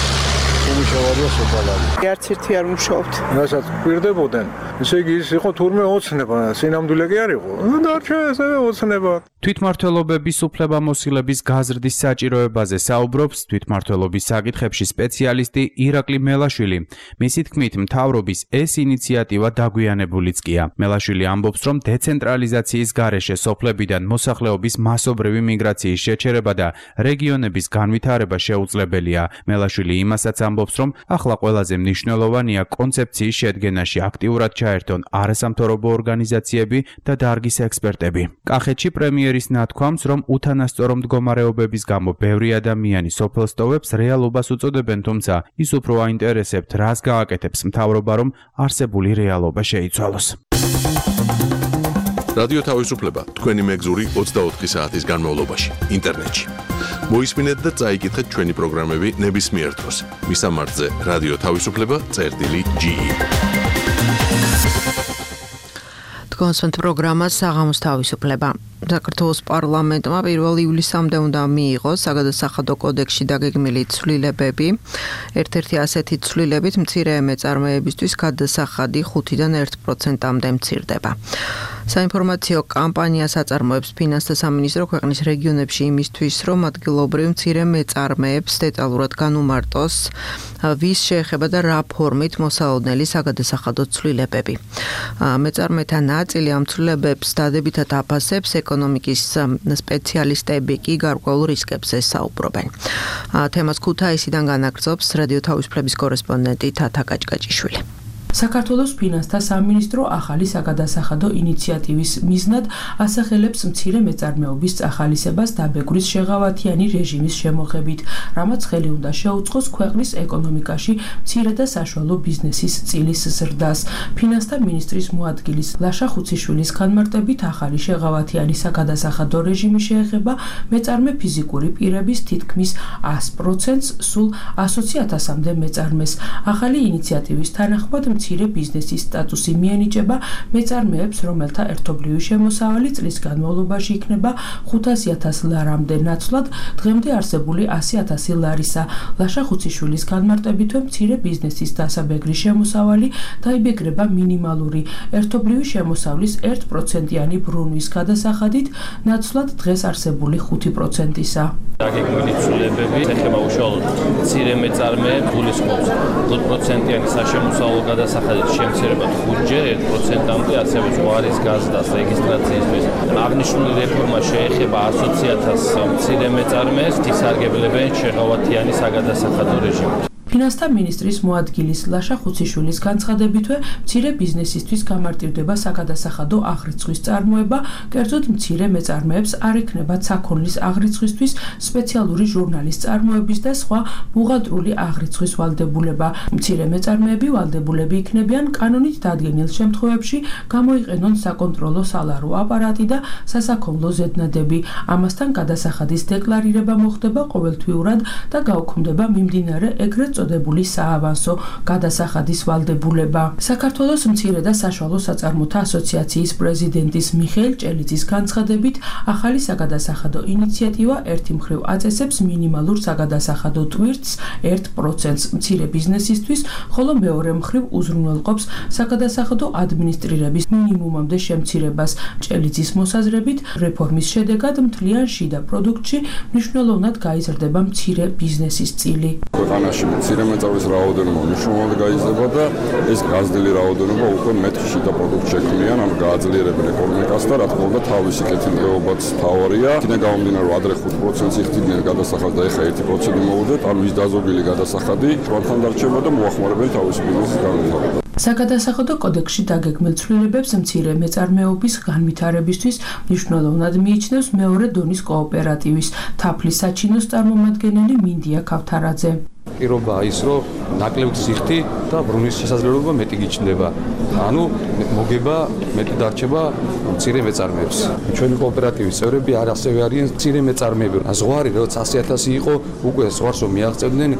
უმუშავია სოფალარი. არც ერთი არ მუშაობთ. რასაც პირდებოდნენ, ესე იგი ის იყო თურმე ოცნება, სინამდვილე კი არ იყო. დარჩა ესევე ოცნება. თვითმმართველობების უფლებამოსილების გაზრდის საჭიროებაზე საუბრობს თვითმმართველობის საკითხებში სპეციალისტი ირაკლი მელაშვილი. მისი თქმით, მთავრობის ეს ინიციატივა დაგვიანებულიც კია. მელაშვილი ამბობს, რომ დეცენტრალიზაციის გარეშე სოფლებიდან მოსახლეობის მასობრივი მიგრაციის შეჩერება და რეგიონების განვითარება შეუძლებელია. მელაშვილი იმასაც ამბობს, რომ ახლა ყველაზე მნიშვნელოვანია კონცეფციის შედგენაში აქტიურად ჩაერთონ არასამთავრობო ორგანიზაციები და დარგის ექსპერტები. კახეთში პრემიერ ის ნათქვამს, რომ უთანასწორო მდგომარეობების გამო ბევრი ადამიანი სოფელს ტოვებს, რეალობას უწოდებენ, თუმცა ის უფრო აინტერესებთ, რას გააკეთებს მთავრობა, რომ არსებული რეალობა შეიცვალოს. რადიო თავისუფლება თქვენი მეგზური ოცდაოთხი საათის განმავლობაში ინტერნეტში. მოისმინეთ და წაიკითხეთ ჩვენი პროგრამები ნებისმიერ დროს. მისამართზე რადიო თავისუფლება წერტილი ჯი. კონსვენთ პროგრამა საღამოს თავისუფლება. საქართველოს პარლამენტმა პირველ ივლისამდე უნდა მიიღოს საგადასახადო კოდექსში დაგეგმილი ცვლილებები. ერთ-ერთი ასეთი ცვლილებით მცირე მეწარმეებისთვის გადასახადი ხუთიდან ერთ პროცენტამდე მცირდება. საინფორმაციო კამპანიას აწარმოებს ფინანსთა სამინისტრო ქვეყნის რეგიონებში იმისთვის, რომ ადგილობრივ მცირე მეწარმეებს დეტალურად განუმარტოს ვის შეეხება და რა ფორმით მოსალოდნელი საგადასახადო ცვლილებები. მეწარმეთა ნაწილი ამ ცვლილებებს დადებითად აფასებს, ეკონომიკის სპეციალისტები კი გარკვეულ რისკებზე საუბრობენ. თემას ქუთაისიდან განაგრძობს რადიო თავისუფლების კორესპონდენტი თათა კაჭკაჭიშვილი. საქართველოს ფინანსთა სამინისტრო ახალი საგადასახადო ინიციატივის მიზნად ასახელებს მცირე მეწარმეობის წახალისებას დაბეგვრის შეღავათიანი რეჟიმის შემოღებით, რამაც ხელი უნდა შეუწყოს ქვეყნის ეკონომიკაში მცირე და საშუალო ბიზნესის წილის ზრდას. ფინანსთა მინისტრის მოადგილის ლაშა ხუციშვილის განმარტებით ახალი შეღავათიანი საგადასახადო რეჟიმი შეეხება მეწარმე ფიზიკური პირების თითქმის ას პროცენტს, სულ ასოცი ათასამდე მეწარმეს. ახალი ინიციატივის თანახმად მცირე ბიზნესის სტატუსი მიენიჭება მეწარმეებს, რომელთა ერთობლივი შემოსავალი წლის განმავლობაში იქნება ხუთასი ათასი ლარამდე ნაცვლად, დღემდე არსებული ასი ათასი ლარისა. ლაშა ხუციშვილის განმარტებითვე მცირე ბიზნესის დასაბეგრი შემოსავალი დაიბეგრება მინიმალური ერთობლივი შემოსავლის ერთ პროცენტიანი ბრუნვის გადასახადით, ნაცვლად დღეს არსებული ხუთი პროცენტისა. დაგეგმილი ცვლილებები ეხება უშუალოდ მცირე მეწარმეებს, გულისხმობს ხუთ პროცენტიანი საშემოსავლო გადასახადით შემცირება ხუთჯერ ერთ პროცენტამდე, ასევე ზღვარის გაზდას რეგისტრაციისთვის. აღნიშნული რეფორმა შეეხება ასოცი ათასი მცირე მეწარმეებს, ისარგებლებენ შეღავათიანი საგადასახადო რეჟიმით. ფინანსთა მინისტრის მოადგილის ლაშა ხუციშვილის განცხადებითვე მცირე ბიზნესისთვის გამარტივდება საგადასახადო აღრიცხვის წარმოება, კერძოდ მცირე მეწარმეებს არ ექნებათ საქონლის აღრიცხვისთვის სპეციალური ჟურნალის წარმოების და სხვა ბუღალტრული აღრიცხვის ვალდებულება. მცირე მეწარმეები ვალდებულები იქნებიან კანონით დადგენილ შემთხვევებში გამოიყენონ საკონტროლო სალარო აპარატი და სასაქონლო ზედნადები. ამასთან გადასახადის დეკლარირება მოხდება ყოველთვიურად და გაუქმდება მიმდინარე ეგრეთ წოდებული საავანსო გადასახადის ვალდებულება. საქართველოს მცირე და საშუალო საწარმოთა ასოციაციის პრეზიდენტის მიხეილ ჭელიძის განცხადებით, ახალი საგადასახადო ინიციატივა ერთი მხრივ აწესებს მინიმალურ საგადასახადო ტვირთს ერთ პროცენტს მცირე ბიზნესისთვის, ხოლო მეორე მხრივ უზრუნველყოფს საგადასახადო ადმინისტრირების მინიმუმამდე შემცირებას. ჭელიძის მოსაზრებით, რეფორმის შედეგად მთლიან შიდა პროდუქტში მნიშვნელოვნად გაიზრდება მცირე ბიზნესის წილი. ქვეყანაში მცირე მეწარმეების რაოდენობა მნიშვნელოვნად გაიზრდება და ეს გაზრდილი რაოდენობა უკვე მეტ შიდა პროდუქტს შექმნიან, ანუ გააძლიერებენ ეკონომიკას და რა თქმა უნდა თავისი კეთილდღეობაც თავარია. იქიდან გამომდინარე, რომ ადრე ხუთ პროცენტს იხდიდნენ გადასახადს და ეხლა ერთი პროცენტი მოუძეთ, ანუ ის დაზოგილი გადასახადი ჩვენთან დარჩება და მოახმარებენ თავისი ბიზნესის განვითარებას. საგადასახადო კოდექსში დაგეგმილ ცვლილებებს მცირე მეწარმეობის განვითარებისთვის მნიშვნელოვნად მიიჩნევს მეორე დონის კოოპერატივის თაფლის საჩინოს წარმომადგენელი მინდია ქავთარაძე. პირობაა ის, რომ ნაკლებ ზიხთი და ბრუნის შესაძლებლობა მეტი გიჩნდება. ანუ მოგება მეტი დარჩება მცირე მეწარმეებს. ჩვენი კოოპერატივის წევრები არ ასევე არიან მცირე მეწარმეები. ზღვარი როცა ასი ათასი იყო, უკვე ზღვარს რომ მიაღწევდნენ,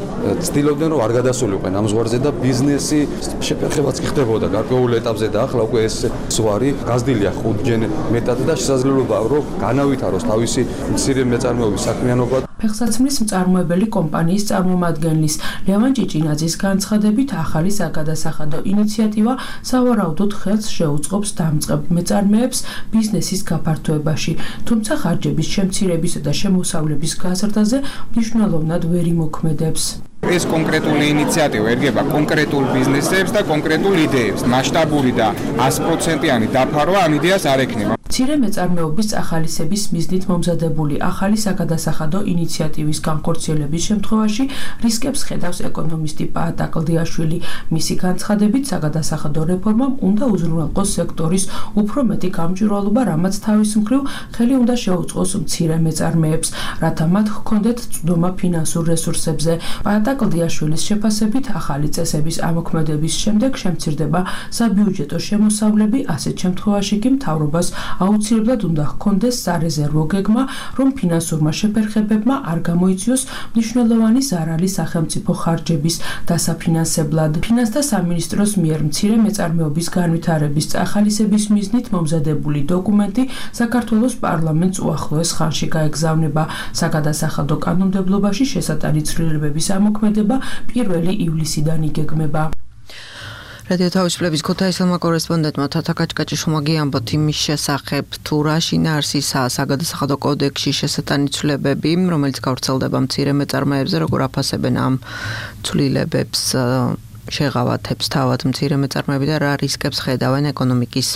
ცდილობდნენ რომ არ გადასულიყვნენ ამ ზღვარზე და ბიზნესი შეფერხებაც კი ხდებოდა გარკვეულ ეტაპზე და ახლა უკვე ეს ზღვარი გაზრდილია ხუთჯერ მეტად და შესაძლებლობა რომ განავითაროს თავისი მცირე მეწარმეობის საქმიანობა. ფეხსაცმლის მწარმოებელი კომპანიის წარმომადგენლის ლევან ჭიჭინაძის განცხადებით, ახალი საგადასახადო ინიციატივა სავარაუდოდ ხელს შეუწყობს დამწყებ მეწარმეებს ბიზნესის გაფართოებაში, თუმცა ხარჯების შემცირებისა და შემოსავლების გაზრდაზე მნიშვნელოვნად ვერ იმოქმედებს. ეს კონკრეტული ინიციატივა ერგება კონკრეტულ ბიზნესებს და კონკრეტულ იდეებს. მასშტაბური და ას პროცენტიანი დაფარვა ამ იდეას არ ექნება. მცირე მეწარმეობის ახალისების მიზნით მომზადებული ახალი საგადასახადო ინიციატივის განხორციელების შემთხვევაში რისკებს ხედავს ეკონომისტი პაატა კლდიაშვილი. მისი განცხადებით, საგადასახადო რეფორმამ უნდა უზრუნველყოს სექტორის უფრო მეტი გამჭვირვალობა, რამაც თავის მხრივ ხელი უნდა შეუწყოს მცირე მეწარმეებს, რათა მათ ჰქონდეთ წვდომა ფინანსურ რესურსებზე. პაატა კლდიაშვილის შეფასებით, ახალი წესების ამოქმედების შემდეგ შემცირდება საბიუჯეტო შემოსავლები, ასეთ შემთხვევაში კი მთავრობას აუცილებლად უნდა ჰქონდეს სარეზერვო გეგმა, რომ ფინანსურმა შეფერხებებმა არ გამოიწვიოს მნიშვნელოვანი ზარალი სახელმწიფო ხარჯების დასაფინანსებლად. ფინანსთა სამინისტროს მიერ მცირე მეწარმეობის განვითარების წახალისების მიზნით მომზადებული დოკუმენტი საქართველოს პარლამენტს უახლოეს ხანში გაეგზავნება. საგადასახადო კანონმდებლობაში შესატანი ცვლილებების ამოქმედება პირველი ივლისიდან იგეგმება. რადიო თავისუფლების ქუთაისელმა კორესპონდენტმა თათა კაჭკაჭიშვილმა გიამბოთ იმის შესახებ, თუ რა შინაარსისაა საგადასახადო კოდექსში შესატანი ცვლილებები, რომელიც გავრცელდება მცირე მეწარმეებზე, როგორ აფასებენ ამ ცვლილებებს შეღავათებს თავად მცირე მეწარმეები და რა რისკებს ხედავენ ეკონომიკის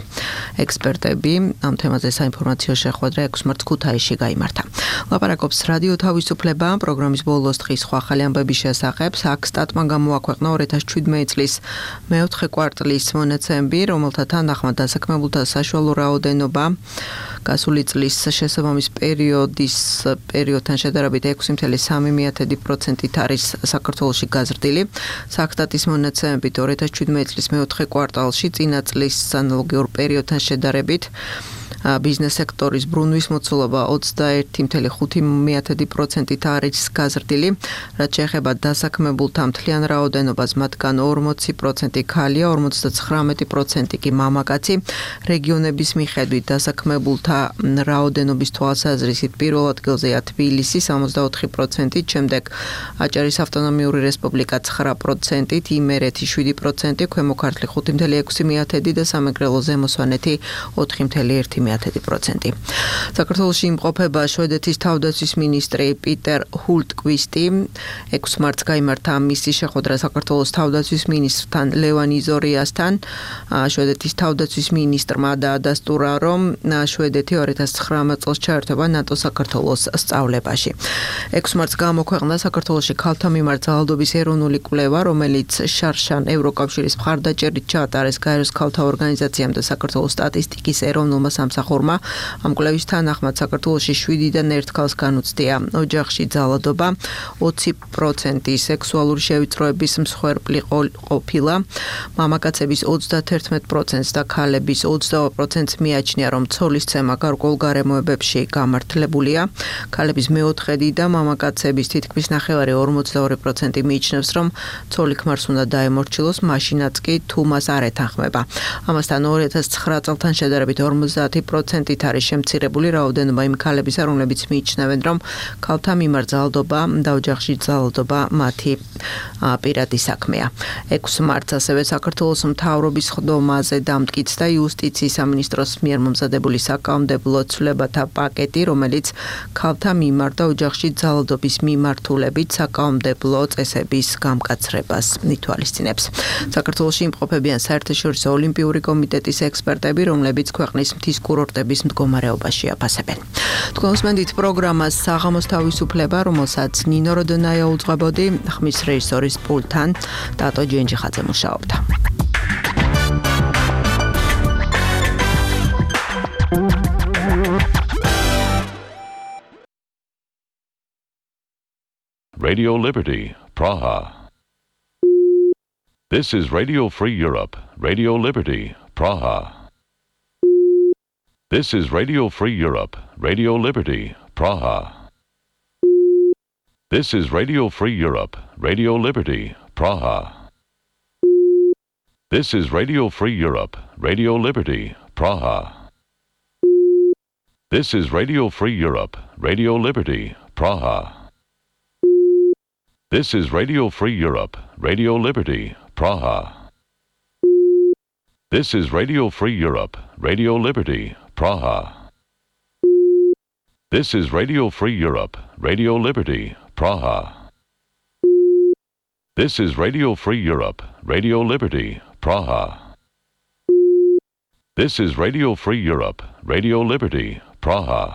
ექსპერტები. ამ თემაზე საინფორმაციო შეხვედრა ექვსი მარტს ქუთაისში გაიმართა. ლაპარაკობს რადიო თავისუფლება, პროგრამის ბოლოს დღის სხვა ახალი ამბების შესახებ. საქსტატმა გამოაქვეყნა ორი ათას შვიდმეტი წლის მეოთხე კვარტლის მონაცემები, რომელთა თანახმად დასაქმებულთა საშუალო რაოდენობა გასული წლის შესაბამის პერიოდის პერიოდთან შედარებით ექვსი კoma სამი პროცენტით არის საქართველოში გაზრდილი. საქსტატის მონაცემებით ორი ათას შვიდმეტი წლის მეოთხე კვარტალში წინა წლის ანალოგიურ პერიოდთან შედარებით ბიზნეს სექტორის ბრუნვის მოცულობა ოცდაერთი კoma ხუთი პროცენტით არის გაზრდილი, რაც შეეხება დასაქმებულთა მთლიან რაოდენობას, მათგან ორმოცი პროცენტი ქალია, ორმოცდაცხრამეტი პროცენტი კი მამაკაცი. რეგიონების მიხედვით დასაქმებულთა რაოდენობის თვალსაზრისით პირველ ადგილზეა თბილისი სამოცდაოთხი პროცენტით, შემდეგ აჭარის ავტონომიური რესპუბლიკა ცხრა პროცენტით, იმერეთი შვიდი პროცენტი, ქვემო ქართლი ხუთი კoma ექვსი და სამეგრელო ზემო სვანეთი ოთხი კoma ერთი მეათედი პროცენტი. საქართველოში იმყოფება შვედეთის თავდაცვის მინისტრი პიტერ ჰულტკვისტი. ექვსი მარტს გაიმართა მისი შეხვედრა საქართველოს თავდაცვის მინისტრთან ლევან იზორიასთან. შვედეთის თავდაცვის მინისტრმა დაადასტურა, რომ შვედეთი ორი ათას ცხრამეტ წელს ჩაერთვება ნატო-საქართველოს სწავლებაში. ექვსი მარტს გამოქვეყნდა საქართველოში ქალთა მიმართ ძალადობის ეროვნული კვლევა, რომელიც შარშან ევროკავშირის მხარდაჭერით ჩაატარეს გაეროს ქალთა ორგანიზაციამ და საქართველოს სტატისტიკის ეროვნულმა სამსახურმა. ამ კვლევის თანახმად საქართველოში შვიდიდან ერთ ქალს განუცდია ოჯახში ძალადობა, ოცი პროცენტი სექსუალური შევიწროების მსხვერპლი ყოფილა, მამაკაცების ოცდაათი პროცენტს და ქალების ოცდაორი პროცენტს მიაჩნია, რომ ცოლისცემა გარკვეულ გარემოებებში გამართლებულია. ქალების მეოთხედი და მამაკაცების თითქმის ნახევარი ორმოცდაორი პროცენტი მიიჩნევს, რომ ცოლი ქმარს უნდა დაემორჩილოს, მაშინაც კი თუ მას არ ეთანხმება. ამასთან ორი ათას ცხრა წელთან შედარებით ორმოცდაათი პროცენტით არის შემცირებული რაოდენობა იმ ქალებისა, რომლებიც მიიჩნევენ, რომ ქალთა მიმართ ძალადობა და ოჯახში ძალადობა მათი პირადი საქმეა. ექვსი მარტს ასევე საქართველოს მთავრობის ხდომაზე დამტკიცდა იუსტიციის სამინისტროს მიერ მომზადებული საკანონმდებლო ცვლილებათა პაკეტი, რომელიც ქალთა მიმართ და ოჯახში ძალადობის მიმართულებით საკანონმდებლო წესების გამკაცრებას ითვალისწინებს. საქართველოში იმყოფებიან საერთაშორისო ოლიმპიური კომიტეტის ექსპერტები, რომლებიც ქვეყნის მთის კურორტების მდგომარეობაში აფასებენ. თქვენ უსმენთ პროგრამას საღამოს თავისუფლება, რომელსაც ნინო როდონაია უძღვებოდი, ხმის რეჟისორის პულტთან დატო ჯენჯიხაძე მუშაობდა. Radio Liberty, Praha. This is Radio Free Europe, Radio Liberty, Praha. This is Radio Free Europe, Radio Liberty, Praha. This is Radio Free Europe, Radio Liberty, Praha. This is Radio Free Europe, Radio Liberty, Praha. This is Radio Free Europe, Radio Liberty, Praha. This is Radio Free Europe, Radio Liberty, Praha. This is Radio Free Europe, Radio Liberty, Praha. This is Radio Free Europe, Radio Liberty, Praha. This is Radio Free Europe, Radio Liberty, Praha. This is Radio Free Europe, Radio Liberty, Praha.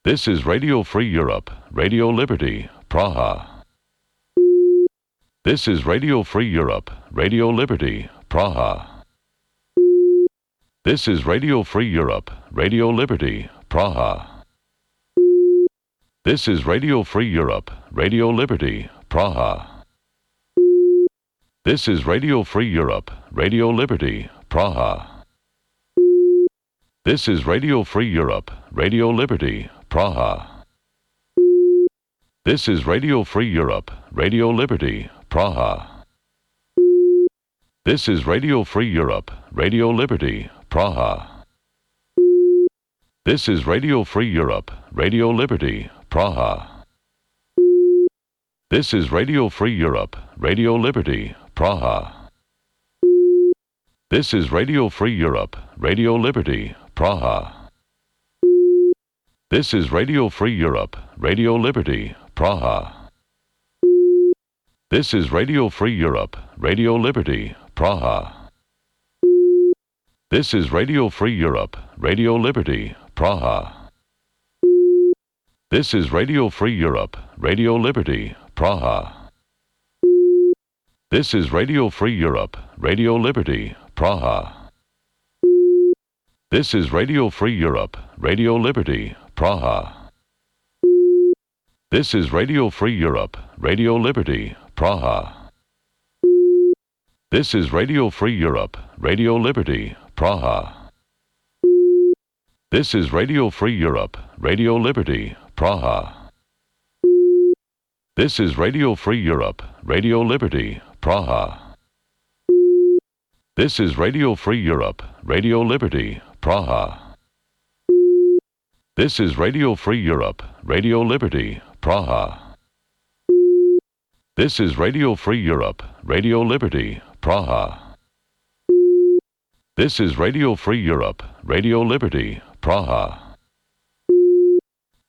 This is Radio Free Europe, Radio Liberty, Praha. This is Radio Free Europe, Radio Liberty, Praha. This is Radio Free Europe, Radio Liberty, Praha. This is Radio Free Europe, Radio Liberty, Praha. This is Radio Free Europe, Radio Liberty, Praha. This is Radio Free Europe, Radio Liberty, Praha. This is Radio Free Europe, Radio Liberty, Praha. This is Radio Free Europe, Radio Liberty, Praha. This is Radio Free Europe, Radio Liberty, Praha. This is Radio Free Europe, Radio Liberty, Praha. This is Radio Free Europe, Radio Liberty, Praha. This is Radio Free Europe, Radio Liberty, Praha. This is Radio Free Europe, Radio Liberty, Praha. This is Radio Free Europe, Radio Liberty, Praha. This is Radio Free Europe, Radio Liberty, Praha. This is Radio Free Europe, Radio Liberty, Praha. This is Radio Free Europe, Radio Liberty, Praha. This is Radio Free Europe, Radio Liberty, Praha. This is Radio Free Europe, Radio Liberty, Praha. This is Radio Free Europe, Radio Liberty, Praha. This is Radio Free Europe, Radio Liberty, Praha. This is Radio Free Europe, Radio Liberty, Praha. This is Radio Free Europe, Radio Liberty, Praha. This is Radio Free Europe, Radio Liberty, Praha. This is Radio Free Europe, Radio Liberty, Praha.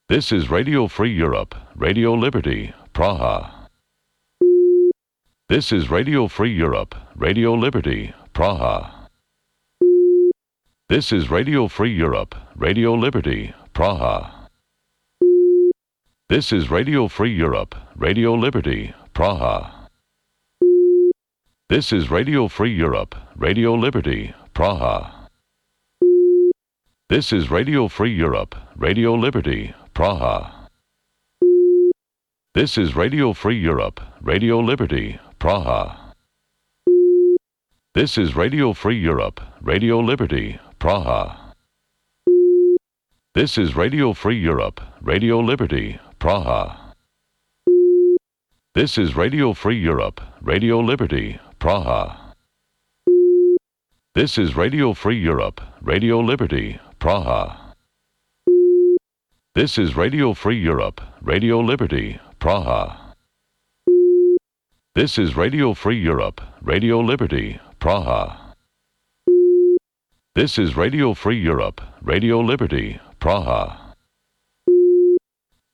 This is Radio Free Europe, Radio Liberty, Praha. This is Radio Free Europe, Radio Liberty, Praha. This is Radio Free Europe, Radio Liberty, Praha. This is Radio Free Europe, Radio Liberty, Praha. This is Radio Free Europe, Radio Liberty, Praha. This is Radio Free Europe, Radio Liberty, Praha. This is Radio Free Europe, Radio Liberty, Praha. This is Radio Free Europe, Radio Liberty, Praha. This is Radio Free Europe, Radio Liberty, Praha. This is Radio Free Europe, Radio Liberty, Praha. This is Radio Free Europe, Radio Liberty, Praha. This is Radio Free Europe, Radio Liberty, Praha. This is Radio Free Europe, Radio Liberty, Praha. This is Radio Free Europe, Radio Liberty, Praha.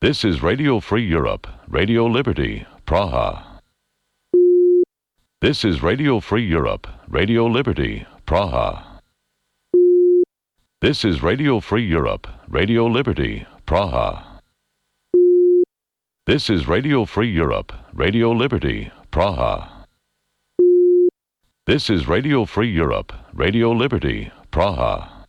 This is Radio Free Europe, Radio Liberty, Praha. This is Radio Free Europe, Radio Liberty, Praha. This is Radio Free Europe, Radio Liberty, Praha. This is Radio Free Europe, Radio Liberty, Praha. This is Radio Free Europe, Radio Liberty, Praha.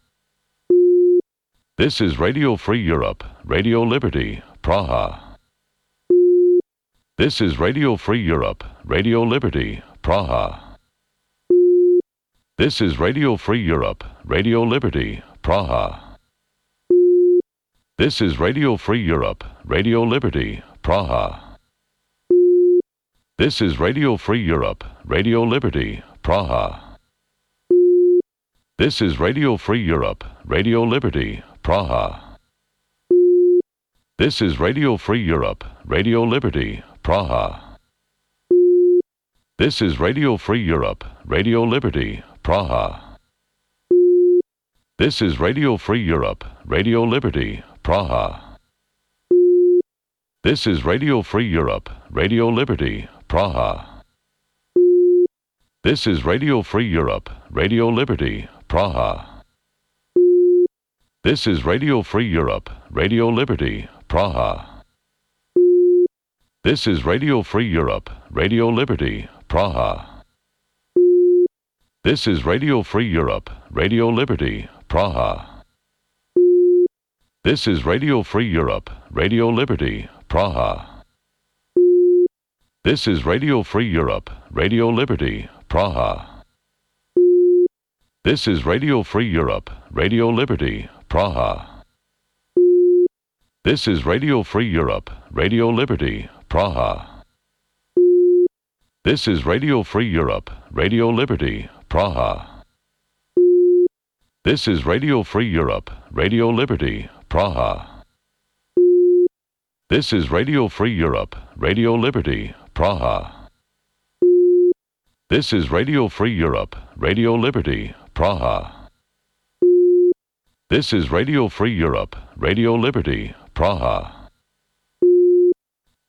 This is Radio Free Europe, Radio Liberty, Praha. This is Radio Free Europe, Radio Liberty, Praha. This is Radio Free Europe, Radio Liberty, Praha. This is Radio Free Europe, Radio Liberty, Praha. This is Radio Free Europe, Radio Liberty, Praha. This is Radio Free Europe, Radio Liberty, Praha. This is Radio Free Europe, Radio Liberty, Praha. This is Radio Free Europe, Radio Liberty, Praha. This is Radio Free Europe, Radio Liberty, Praha. This is Radio Free Europe, Radio Liberty, Praha. This is Radio Free Europe, Radio Liberty, Praha. This is Radio Free Europe, Radio Liberty, Praha. This is Radio Free Europe, Radio Liberty, Praha. This is Radio Free Europe, Radio Liberty, Praha. This is Radio Free Europe, Radio Liberty, Praha. This is Radio Free Europe, Radio Liberty, Praha. This is Radio Free Europe, Radio Liberty, Praha. This is Radio Free Europe, Radio Liberty, Praha. This is Radio Free Europe, Radio Liberty, Praha. This is Radio Free Europe, Radio Liberty, Praha. This is Radio Free Europe, Radio Liberty, Praha. This is Radio Free Europe, Radio Liberty, Praha. This is Radio Free Europe, Radio Liberty, Praha.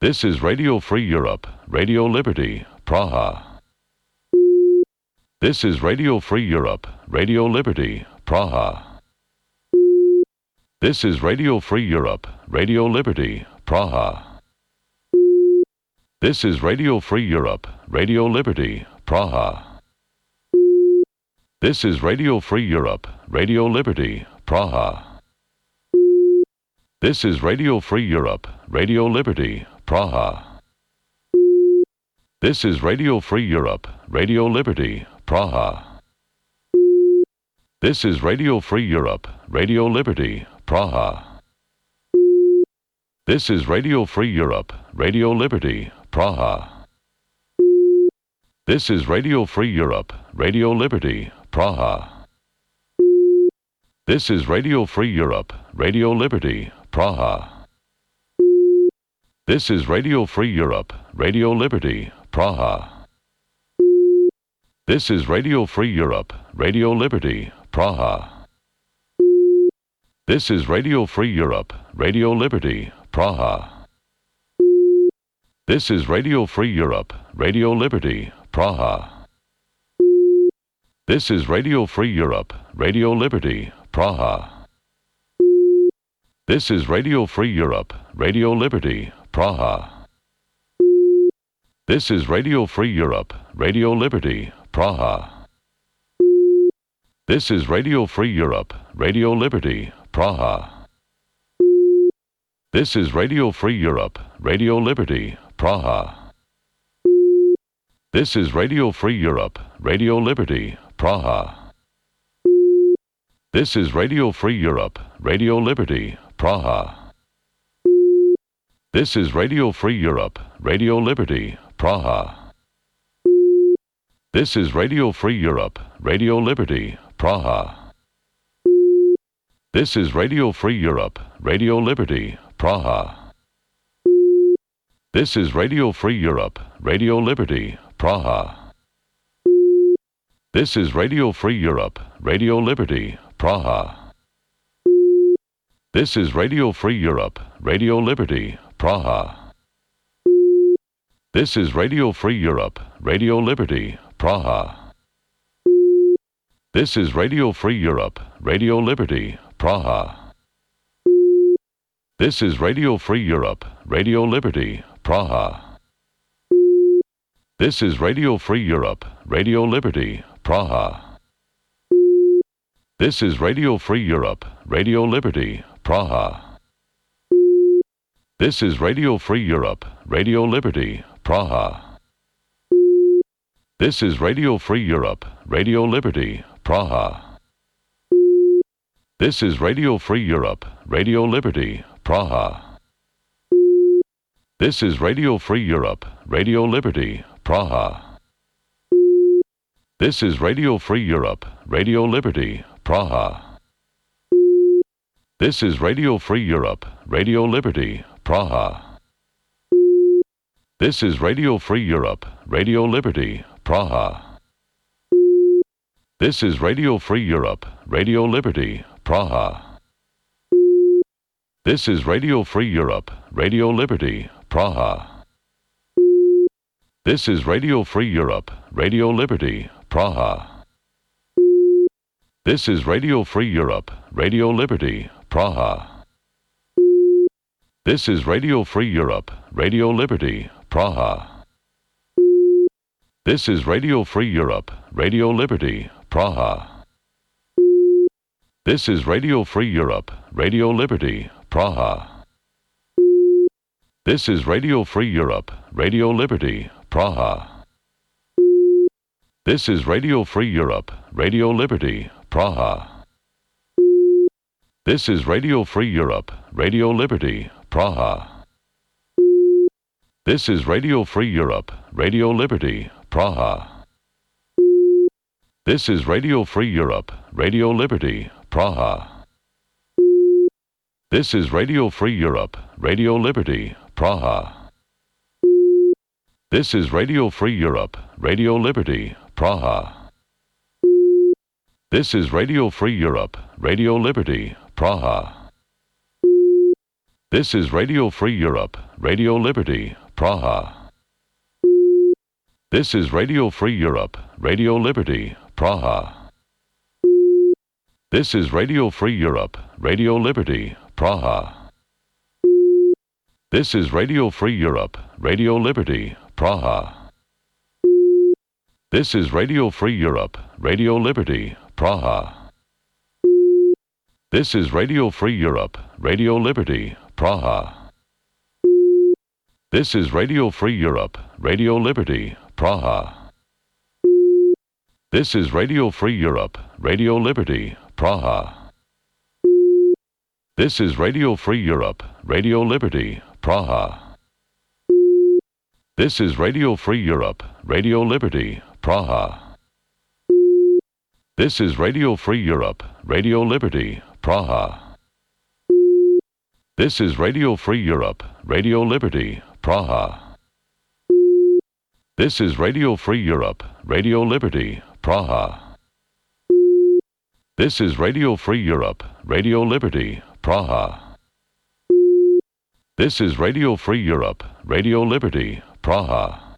This is Radio Free Europe, Radio Liberty, Praha. This is Radio Free Europe, Radio Liberty, Praha. This is Radio Free Europe, Radio Liberty, Praha. This is Radio Free Europe, Radio Liberty, Praha. This is Radio Free Europe, Radio Liberty, Praha. This is Radio Free Europe, Radio Liberty, Praha. This is Radio Free Europe, Radio Liberty, Praha. This is Radio Free Europe, Radio Liberty, Praha. This is Radio Free Europe, Radio Liberty, Praha. This is Radio Free Europe, Radio Liberty, Praha. This is Radio Free Europe, Radio Liberty, Praha. This is Radio Free Europe, Radio Liberty, Praha. This is Radio Free Europe, Radio Liberty, Praha. This is Radio Free Europe, Radio Liberty, Praha. This is Radio Free Europe, Radio Liberty, Praha. This is Radio Free Europe, Radio Liberty, Praha. This is Radio Free Europe, Radio Liberty, Praha. This is Radio Free Europe, Radio Liberty, Praha. This is Radio Free Europe, Radio Liberty, Praha. This is Radio Free Europe, Radio Liberty, Praha. This is Radio Free Europe, Radio Liberty, Praha. This is Radio Free Europe, Radio Liberty, Praha. This is Radio Free Europe, Radio Liberty, Praha. This is Radio Free Europe, Radio Liberty, Praha. This is Radio Free Europe, Radio Liberty, Praha. This is Radio Free Europe, Radio Liberty, Praha. This is Radio Free Europe, Radio Liberty, Praha. This is Radio Free Europe, Radio Liberty, Praha. This is Radio Free Europe, Radio Liberty, Praha. This is Radio Free Europe, Radio Liberty, Praha. This is Radio Free Europe, Radio Liberty, Praha. This is Radio Free Europe, Radio Liberty, Praha. This is Radio Free Europe, Radio Liberty, Praha. This is Radio Free Europe, Radio Liberty, Praha. This is Radio Free Europe, Radio Liberty, Praha. This is Radio Free Europe, Radio Liberty, Praha. This is Radio Free Europe, Radio Liberty, Praha. This is Radio Free Europe, Radio Liberty, Praha. This is Radio Free Europe, Radio Liberty, Praha. This is Radio Free Europe, Radio Liberty, Praha. This is Radio Free Europe, Radio Liberty, Praha. This is Radio Free Europe, Radio Liberty, Praha. This is Radio Free Europe, Radio Liberty, Praha. This is Radio Free Europe, Radio Liberty, Praha. This is Radio Free Europe, Radio Liberty, Praha. This is Radio Free Europe, Radio Liberty, Praha. This is Radio Free Europe, Radio Liberty, Praha. This is Radio Free Europe, Radio Liberty, Praha. This is Radio Free Europe, Radio Liberty, Praha. This is Radio Free Europe, Radio Liberty, Praha. This is Radio Free Europe, Radio Liberty, Praha. This is Radio Free Europe, Radio Liberty, Praha. This is Radio Free Europe, Radio Liberty, Praha. This is Radio Free Europe, Radio Liberty, Praha. This is Radio Free Europe, Radio Liberty, Praha. This is Radio Free Europe, Radio Liberty, Praha. This is Radio Free Europe, Radio Liberty, Praha. This is Radio Free Europe, Radio Liberty, Praha. This is Radio Free Europe, Radio Liberty, Praha. This is Radio Free Europe, Radio Liberty, Praha. This is Radio Free Europe, Radio Liberty, Praha. This is Radio Free Europe, Radio Liberty, Praha. This is Radio Free Europe, Radio Liberty, Praha. This is Radio Free Europe, Radio Liberty, Praha. This is Radio Free Europe, Radio Liberty, Praha. This is Radio Free Europe, Radio Liberty, Praha. This is Radio Free Europe, Radio Liberty, Praha. This is Radio Free Europe, Radio Liberty, Praha. This is Radio Free Europe, Radio Liberty, Praha. This is Radio Free Europe, Radio Liberty, Praha.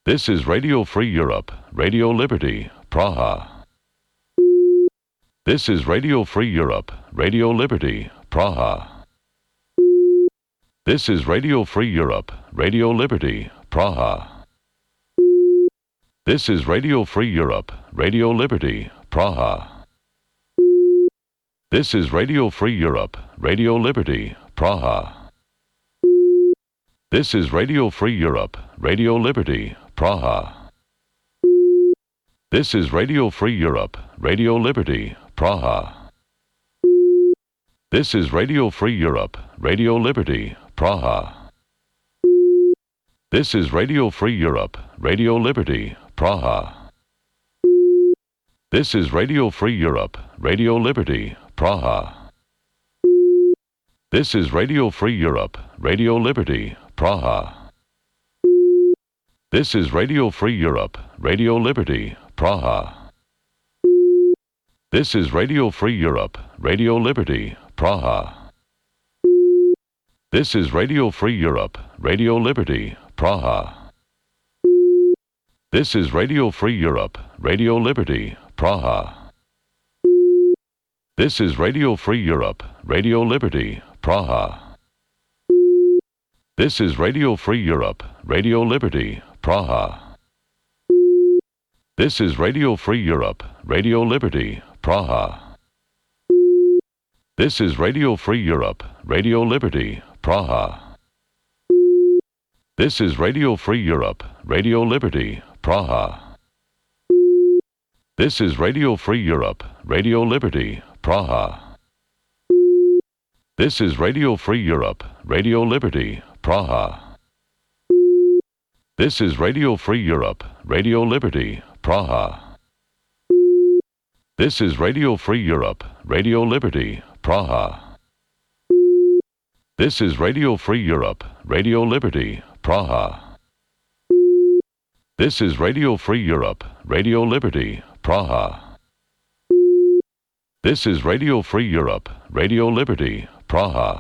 This is Radio Free Europe, Radio Liberty, Praha. This is Radio Free Europe, Radio Liberty, Praha. This is Radio Free Europe, Radio Liberty, Praha. This is Radio Free Europe, Radio Liberty, Praha. This is Radio Free Europe, Radio Liberty, Praha. This is Radio Free Europe, Radio Liberty, Praha. This is Radio Free Europe, Radio Liberty, Praha. This is Radio Free Europe, Radio Liberty, Praha. This is Radio Free Europe, Radio Liberty, Praha. This is Radio Free Europe, Radio Liberty, Praha. This is Radio Free Europe, Radio Liberty, Praha. This is Radio Free Europe, Radio Liberty, Praha. This is Radio Free Europe, Radio Liberty, Praha. This is Radio Free Europe, Radio Liberty, Praha. This is Radio Free Europe, Radio Liberty, Praha. This is Radio Free Europe, Radio Liberty, Praha. This is Radio Free Europe, Radio Liberty, Praha. This is Radio Free Europe, Radio Liberty, Praha. This is Radio Free Europe, Radio Liberty, Praha. This is Radio Free Europe, Radio Liberty, Praha. This is Radio Free Europe, Radio Liberty, Praha. This is Radio Free Europe, Radio Liberty, Praha. This is Radio Free Europe, Radio Liberty, Praha. This is Radio Free Europe, Radio Liberty, Praha. This is Radio Free Europe, Radio Liberty, Praha. This is Radio Free Europe, Radio Liberty, Praha. This is Radio Free Europe, Radio Liberty, Praha.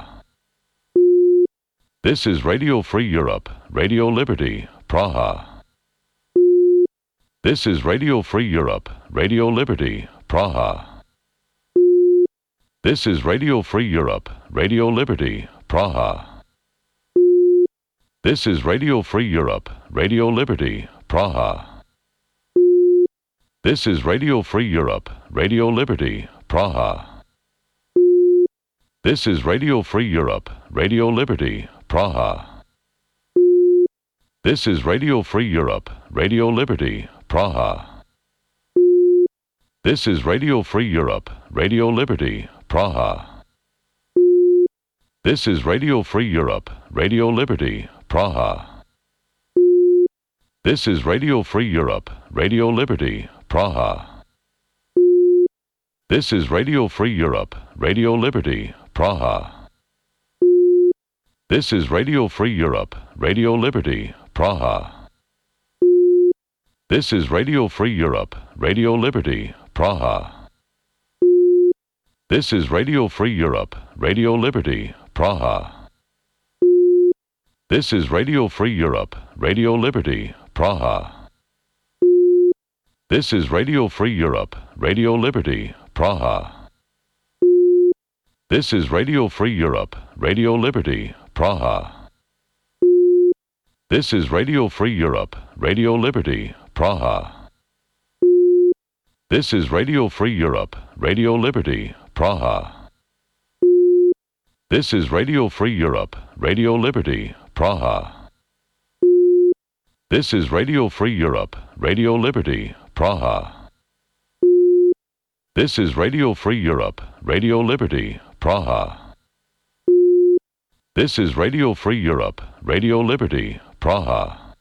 This is Radio Free Europe, Radio Liberty, Praha. This is Radio Free Europe, Radio Liberty, Praha. This is Radio Free Europe, Radio Liberty, Praha. This is Radio Free Europe, Radio Liberty, Praha. This is Radio Free Europe, Radio Liberty, Praha. This is Radio Free Europe, Radio Liberty, Praha. This is Radio Free Europe, Radio Liberty, Praha. This is Radio Free Europe, Radio Liberty, Praha. This is Radio Free Europe, Radio Liberty, Praha. This is Radio Free Europe, Radio Liberty, Praha. This is Radio Free Europe, Radio Liberty, Praha. This is Radio Free Europe, Radio Liberty, Praha. This is Radio Free Europe, Radio Liberty, Praha. This is Radio Free Europe, Radio Liberty, Praha. This is Radio Free Europe, Radio Liberty, Praha. This is Radio Free Europe, Radio Liberty, Praha. This is Radio Free Europe, Radio Liberty, Praha. This is Radio Free Europe, Radio Liberty, Praha. This is Radio Free Europe, Radio Liberty, Praha. This is Radio Free Europe, Radio Liberty, Praha. This is Radio Free Europe, Radio Liberty, Praha. This is Radio Free Europe, Radio Liberty, Praha. This is Radio Free Europe, Radio Liberty, Praha.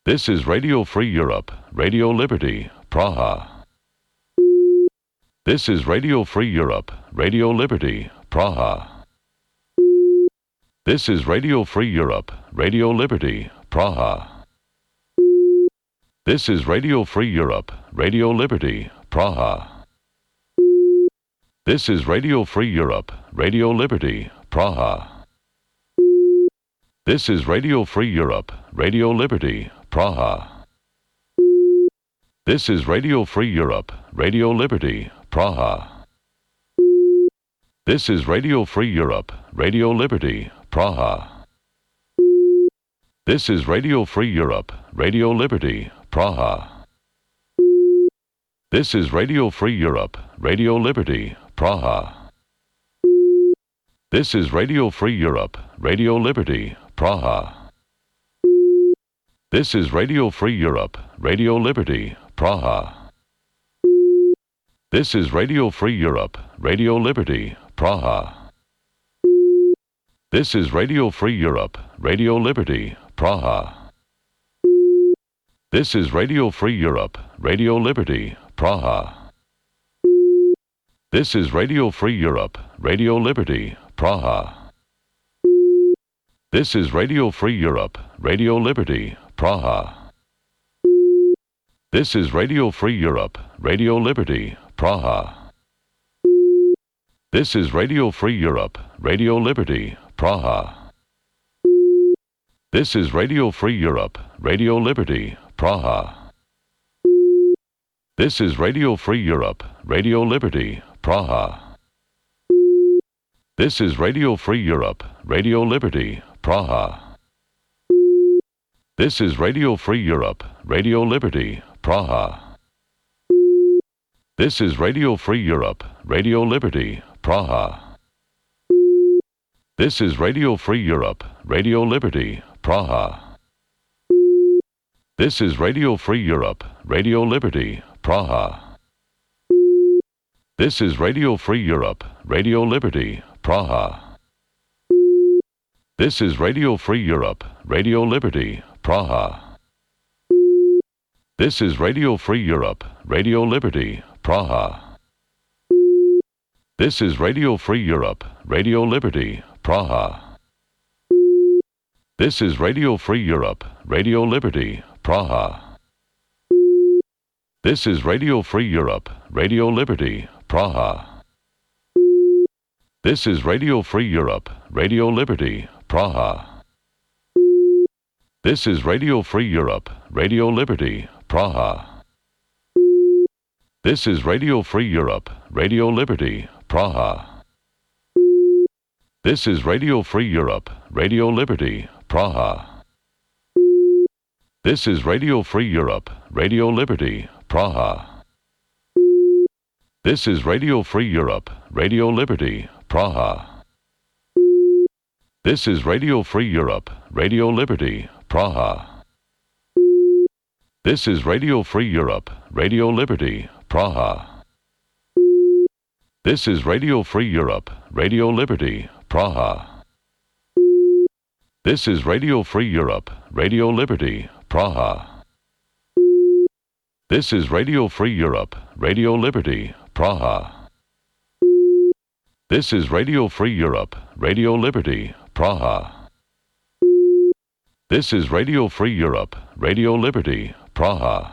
This is Radio Free Europe, Radio Liberty, Praha. This is Radio Free Europe, Radio Liberty, Praha. This is Radio Free Europe, Radio Liberty, Praha. This is Radio Free Europe, Radio Liberty, Praha. This is Radio Free Europe, Radio Liberty, Praha. This is Radio Free Europe, Radio Liberty, Praha. This is Radio Free Europe, Radio Liberty, Praha. This is Radio Free Europe, Radio Liberty, Praha. This is Radio Free Europe, Radio Liberty, Praha. This is Radio Free Europe, Radio Liberty, Praha. This is Radio Free Europe, Radio Liberty, Praha. This is Radio Free Europe, Radio Liberty, Praha. This is Radio Free Europe, Radio Liberty, Praha. This is Radio Free Europe, Radio Liberty, Praha. This is Radio Free Europe, Radio Liberty, Praha. This is Radio Free Europe, Radio Liberty, Praha. This is Radio Free Europe, Radio Liberty, Praha. This is Radio Free Europe, Radio Liberty, Praha. This is Radio Free Europe, Radio Liberty, Praha. This is Radio Free Europe, Radio Liberty, Praha. This is Radio Free Europe, Radio Liberty, Praha. This is Radio Free Europe, Radio Liberty, Praha. This is Radio Free Europe, Radio Liberty, Praha. This is Radio Free Europe, Radio Liberty, Praha. This is Radio Free Europe, Radio Liberty, Praha. This is Radio Free Europe, Radio Liberty, Praha. This is Radio Free Europe, Radio Liberty, Praha. This is Radio Free Europe, Radio Liberty, Praha. This is Radio Free Europe, Radio Liberty, Praha. This is Radio Free Europe, Radio Liberty, Praha. This is Radio Free Europe, Radio Liberty, Praha. This is Radio Free Europe, Radio Liberty, Praha. This is Radio Free Europe, Radio Liberty, Praha. This is Radio Free Europe, Radio Liberty, Praha. This is Radio Free Europe, Radio Liberty, Praha. This is Radio Free Europe, Radio Liberty, Praha. This is Radio Free Europe, Radio Liberty, Praha. This is Radio Free Europe, Radio Liberty, Praha. This is Radio Free Europe, Radio Liberty, Praha. This is Radio Free Europe, Radio Liberty, Praha. This is Radio Free Europe, Radio Liberty, Praha. This is Radio Free Europe, Radio Liberty, Praha. This is Radio Free Europe, Radio Liberty, Praha. This is Radio Free Europe, Radio Liberty, Praha. This is Radio Free Europe, Radio Liberty, Praha.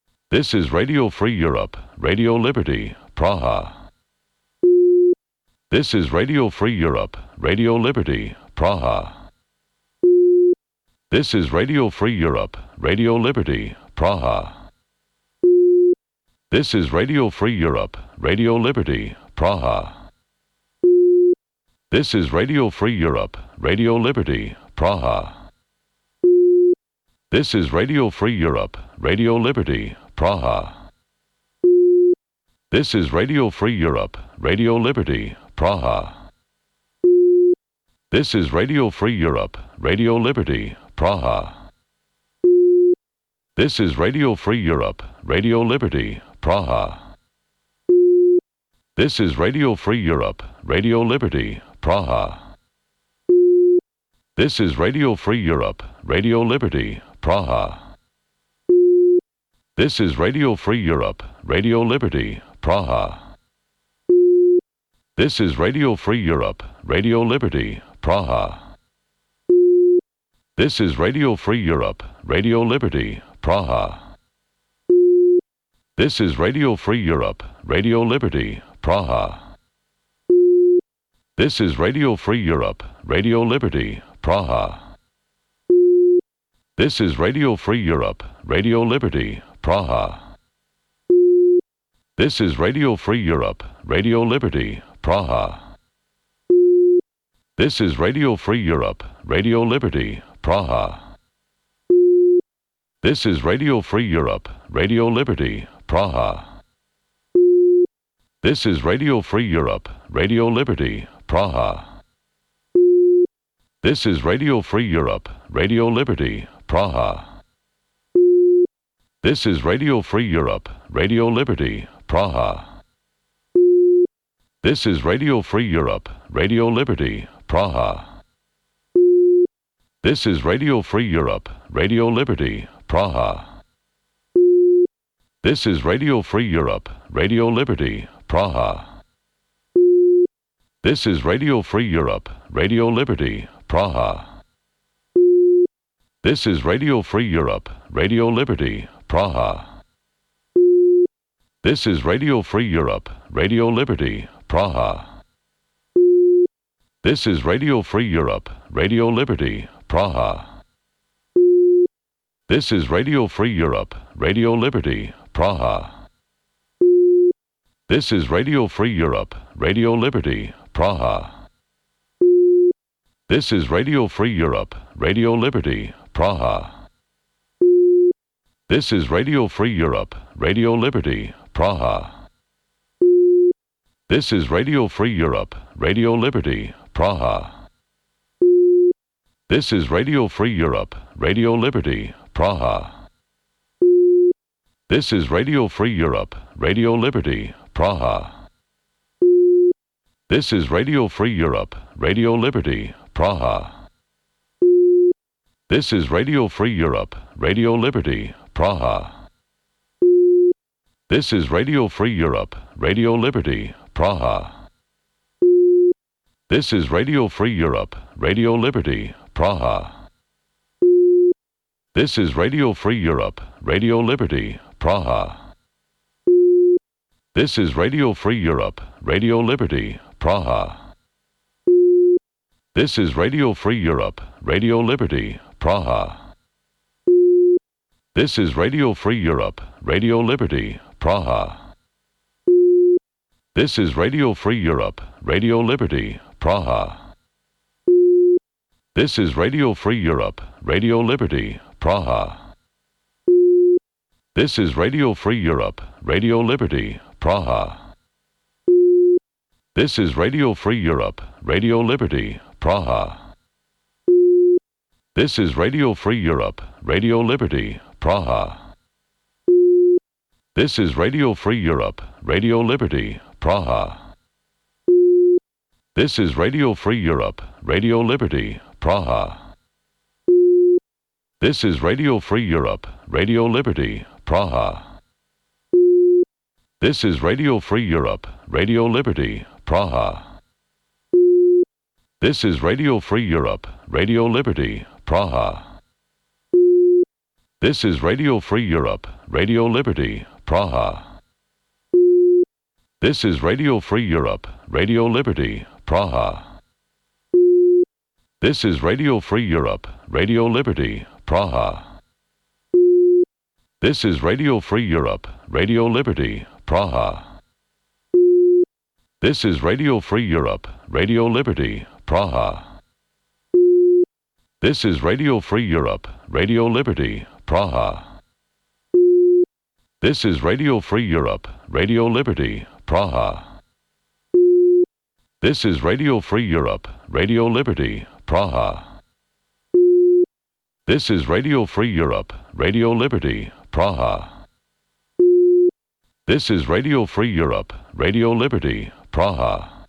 This is Radio Free Europe, Radio Liberty, Praha. This is Radio Free Europe, Radio Liberty, Praha. This is Radio Free Europe, Radio Liberty, Praha. This is Radio Free Europe, Radio Liberty, Praha. This is Radio Free Europe, Radio Liberty, Praha. This is Radio Free Europe, Radio Liberty, Praha. This is Radio Free Europe, Radio Liberty, Praha. This is Radio Free Europe, Radio Liberty, Praha. This is Radio Free Europe, Radio Liberty, Praha. This is Radio Free Europe, Radio Liberty, Praha. This is Radio Free Europe, Radio Liberty, Praha. This is Radio Free Europe, Radio Liberty, Praha. This is Radio Free Europe, Radio Liberty, Praha. This is Radio Free Europe, Radio Liberty, Praha. This is Radio Free Europe, Radio Liberty, Praha. This is Radio Free Europe, Radio Liberty, Praha. This is Radio Free Europe, Radio Liberty, Praha. This is Radio Free Europe, Radio Liberty, Praha. This is Radio Free Europe, Radio Liberty, Praha. This is Radio Free Europe, Radio Liberty, Praha. This is Radio Free Europe, Radio Liberty, Praha. This is Radio Free Europe, Radio Liberty, Praha. This is Radio Free Europe, Radio Liberty, Praha. This is Radio Free Europe, Radio Liberty, Praha. This is Radio Free Europe, Radio Liberty, Praha. This is Radio Free Europe, Radio Liberty, Praha. This is Radio Free Europe, Radio Liberty, Praha. This is Radio Free Europe, Radio Liberty, Praha. This is Radio Free Europe, Radio Liberty, Praha. This is Radio Free Europe, Radio Liberty, Praha. This is Radio Free Europe, Radio Liberty, Praha. This is Radio Free Europe, Radio Liberty, Praha. This is Radio Free Europe, Radio Liberty, Praha. This is Radio Free Europe, Radio Liberty, Praha. This is Radio Free Europe, Radio Liberty, Praha. This is Radio Free Europe, Radio Liberty, Praha. This is Radio Free Europe, Radio Liberty, Praha. This is Radio Free Europe, Radio Liberty, Praha. This is Radio Free Europe, Radio Liberty, Praha. This is Radio Free Europe, Radio Liberty, Praha. This is Radio Free Europe, Radio Liberty, Praha. This is Radio Free Europe, Radio Liberty, Praha. This is Radio Free Europe, Radio Liberty, Praha. This is Radio Free Europe, Radio Liberty, Praha. This is Radio Free Europe, Radio Liberty, Praha. This is Radio Free Europe, Radio Liberty, Praha. This is Radio Free Europe, Radio Liberty, Praha. This is Radio Free Europe, Radio Liberty, Praha. This is Radio Free Europe, Radio Liberty, Praha. This is Radio Free Europe, Radio Liberty, Praha. This is Radio Free Europe, Radio Liberty, Praha. This is Radio Free Europe, Radio Liberty, Praha. This is Radio Free Europe, Radio Liberty, Praha. This is Radio Free Europe, Radio Liberty, Praha. This is Radio Free Europe, Radio Liberty, Praha. This is Radio Free Europe, Radio Liberty, Praha. This is Radio Free Europe, Radio Liberty, Praha. This is Radio Free Europe, Radio Liberty, Praha. This is Radio Free Europe, Radio Liberty, Praha. This is Radio Free Europe, Radio Liberty, Praha. This is Radio Free Europe, Radio Liberty, Praha. This is Radio Free Europe, Radio Liberty, Praha. This is Radio Free Europe, Radio Liberty, Praha. This is Radio Free Europe, Radio Liberty, Praha. This is Radio Free Europe, Radio Liberty, Praha.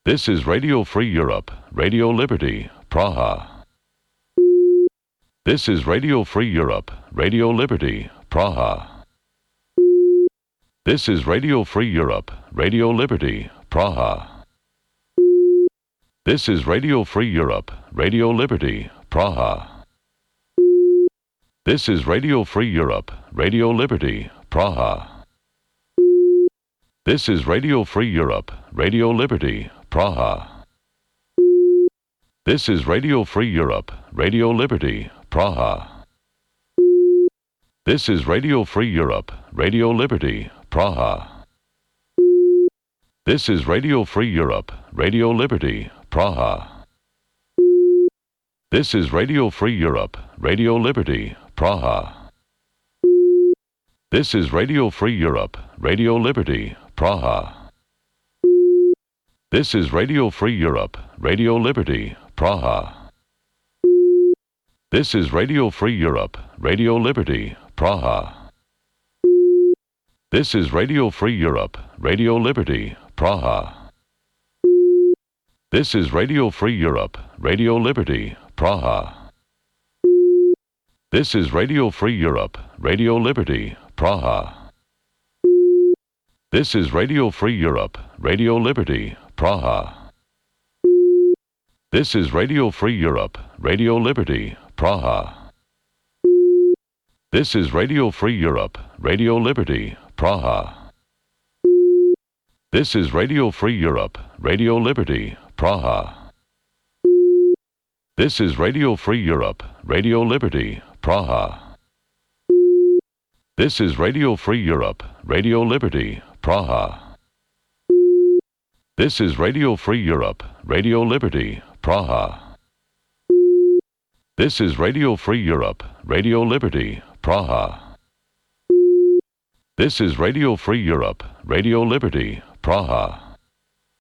This is Radio Free Europe, Radio Liberty, Praha. This is Radio Free Europe, Radio Liberty, Praha. This is Radio Free Europe, Radio Liberty, Praha. This is Radio Free Europe, Radio Liberty, Praha. This is Radio Free Europe, Radio Liberty, Praha. This is Radio Free Europe, Radio Liberty, Praha. This is Radio Free Europe, Radio Liberty, Praha. This is Radio Free Europe, Radio Liberty, Praha. This is Radio Free Europe, Radio Liberty, Praha. This is Radio Free Europe, Radio Liberty, Praha. This is Radio Free Europe, Radio Liberty, Praha. This is Radio Free Europe, Radio Liberty, Praha. This is Radio Free Europe, Radio Liberty, Praha. This is Radio Free Europe, Radio Liberty, Praha. This is Radio Free Europe, Radio Liberty, Praha. This is Radio Free Europe, Radio Liberty, Praha. This is Radio Free Europe, Radio Liberty, Praha. This is Radio Free Europe, Radio Liberty, Praha. This is Radio Free Europe, Radio Liberty, Praha. This is Radio Free Europe, Radio Liberty, Praha. This is Radio Free Europe, Radio Liberty, Praha. This is Radio Free Europe, Radio Liberty, Praha. This is Radio Free Europe, Radio Liberty, Praha. This is Radio Free Europe, Radio Liberty, Praha. This is Radio Free Europe, Radio Liberty, Praha.